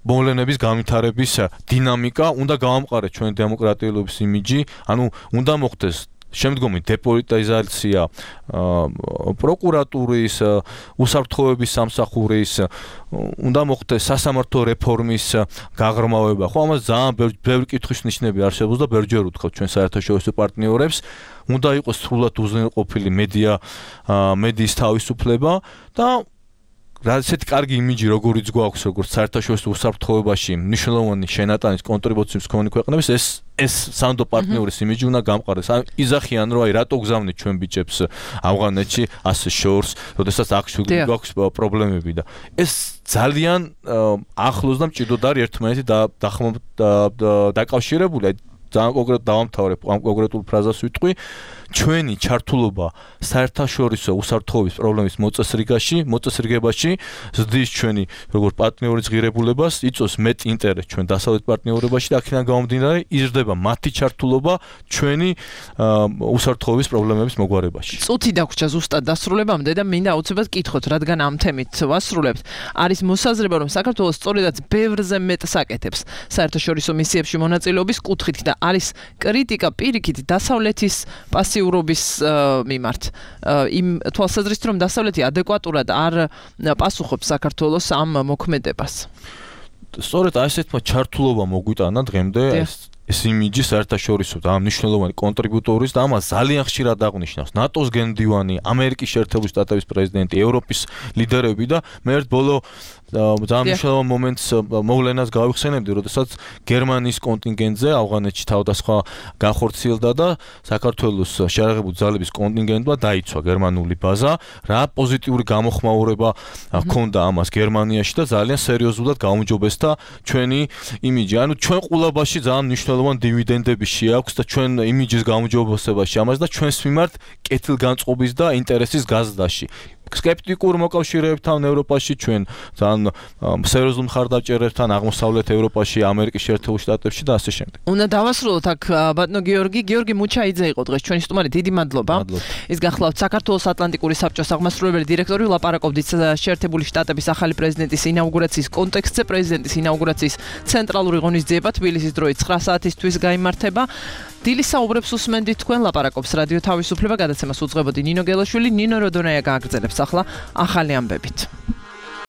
Speaker 4: მოვლენების განვითარების დინამიკა, უნდა გავამყაროთ ჩვენი დემოკრატიულობის იმიჯი, ანუ უნდა მოხდეს შემდგომი დეპოლიტიზაცია პროკურატურის, უსაფრთხოების სამსახურის, უნდა მოხდეს სასამართლო რეფორმის გაღრმავება. ხო, ამას ძალიან ბევრი კითხვის ნიშნები არსებობს და ბევრჯერ ვთქვათ ჩვენ საერთაშორისო პარტნიორებს, უნდა იყოს სრულად უზრუნველყოფილი მედიის თავისუფლება და ასეთი კარგი იმიჯი როგორიც გვაქვს როგორც საერთაშორისო უსაფრთხოებაში მნიშვნელოვანი შენატანის კონტრიბუციის მქონე ქვეყნების ეს სანდო პარტნიორის იმიჯი უნდა გამყარდეს. იზახიან რომ აი რატო გზავნით ჩვენ ბიჭებს ავღანეთში ასე შორს, როდესაც აქ გვაქვს პრობლემები და ეს ძალიან ახლოს და მჭიდროდ არის ერთმანეთი დაკავშირებული. ძალიან კონკრეტულად დავამთავრებ ამ კონკრეტულ ფრაზას ვიტყვი. ჩვენი ჩართულობა საერთაშორისო უსაფრთხოების პრობლემის მოწესრიგებაში ზრდის ჩვენი როგორც პარტნიორის ღირებულებას, იწვევს მეტ ინტერესს ჩვენ დასავლეთ პარტნიორებაში და აქედან გამომდინარე იზრდება მათი ჩართულობა ჩვენი უსაფრთხოების პრობლემების მოგვარებაში.
Speaker 3: წუთი დაგვრჩა ზუსტად დასრულებამდე და მინდა აუცილებლად კითხოთ, რადგან ამ თემით ვასრულებთ. არის მოსაზრება, რომ საქართველოს სწორედაც ბევრზე მეტს აკეთებს საერთაშორისო მისიებში მონაწილეობის კუთხით და არის კრიტიკა პირიქით დასავლეთის პასიურობის მიმართ. იმ თვალსაზრისით, რომ დასავლეთი ადეკვატურად არ პასუხობს საქართველოს ამ მოქმედებას.
Speaker 4: სწორედ ასეთმა ჩართულობა მოგვიტანა დღემდე ეს იმიჯი საერთაშორისო და მნიშვნელოვანი კონტრიბუტორის და ამას ძალიან ხშირად აღნიშნავს ნატოს გენდივანი, ამერიკის შეერთებული შტატების პრეზიდენტი, ევროპის ლიდერები და მე ერთ ბოლო ძალიან მნიშვნელოვან მომენტს მოვლენას გავიხსენებდი, როდესაც გერმანიის კონტინგენტზე ავღანეთში თავდასხმა განხორციელდა და საქართველოს შეიარაღებული ძალების კონტინგენტმა დაიცვა გერმანული ბაზა, რა პოზიტიური გამოხმაურება ჰქონდა ამას გერმანიაში და ძალიან სერიოზულად გაუმჯობესდა ჩვენი იმიჯი. ანუ ჩვენ ყულაბაში ძალიან მნიშვნელოვანი დივიდენდები შეაქვს და ჩვენ იმიჯის გაუმჯობესებაში ამას და ჩვენს მიმართ კეთილგანწყობის და ინტერესის გაზრდაში. სკეპტიკურ მოკავშირეებთან ევროპაში ჩვენ ძალიან სერიოზულ მხარდამჭერებთან აღმოსავლეთ ევროპაში, ამერიკის შეერთებულ შტატებში და ასე შემდეგ.
Speaker 3: უნდა დავასრულოთ აქ ბატონო გიორგი მუჩაიძე იყო დღეს ჩვენი სტუმარი. დიდი მადლობა. ის გახლავთ საქართველოს ატლანტიკური საბჭოს აღმასრულებელი დირექტორი. ვლაპარაკობდით შეერთებული შტატების ახალი პრეზიდენტის ინაუგურაციის კონტექსტზე. პრეზიდენტის ინაუგურაციის ცენტრალური ღონისძიება თბილისის დროით 9 საათისთვის გაიმართება. დილის საუბრებს უსმენდით თქვენ, ლაპარაკობს რადიო თავისუფლება, გადაცემას უძღვებოდი ნინო გელაშვილი. ნინო როდონაია გააგრძელებს ახლა ახალი ამბებით.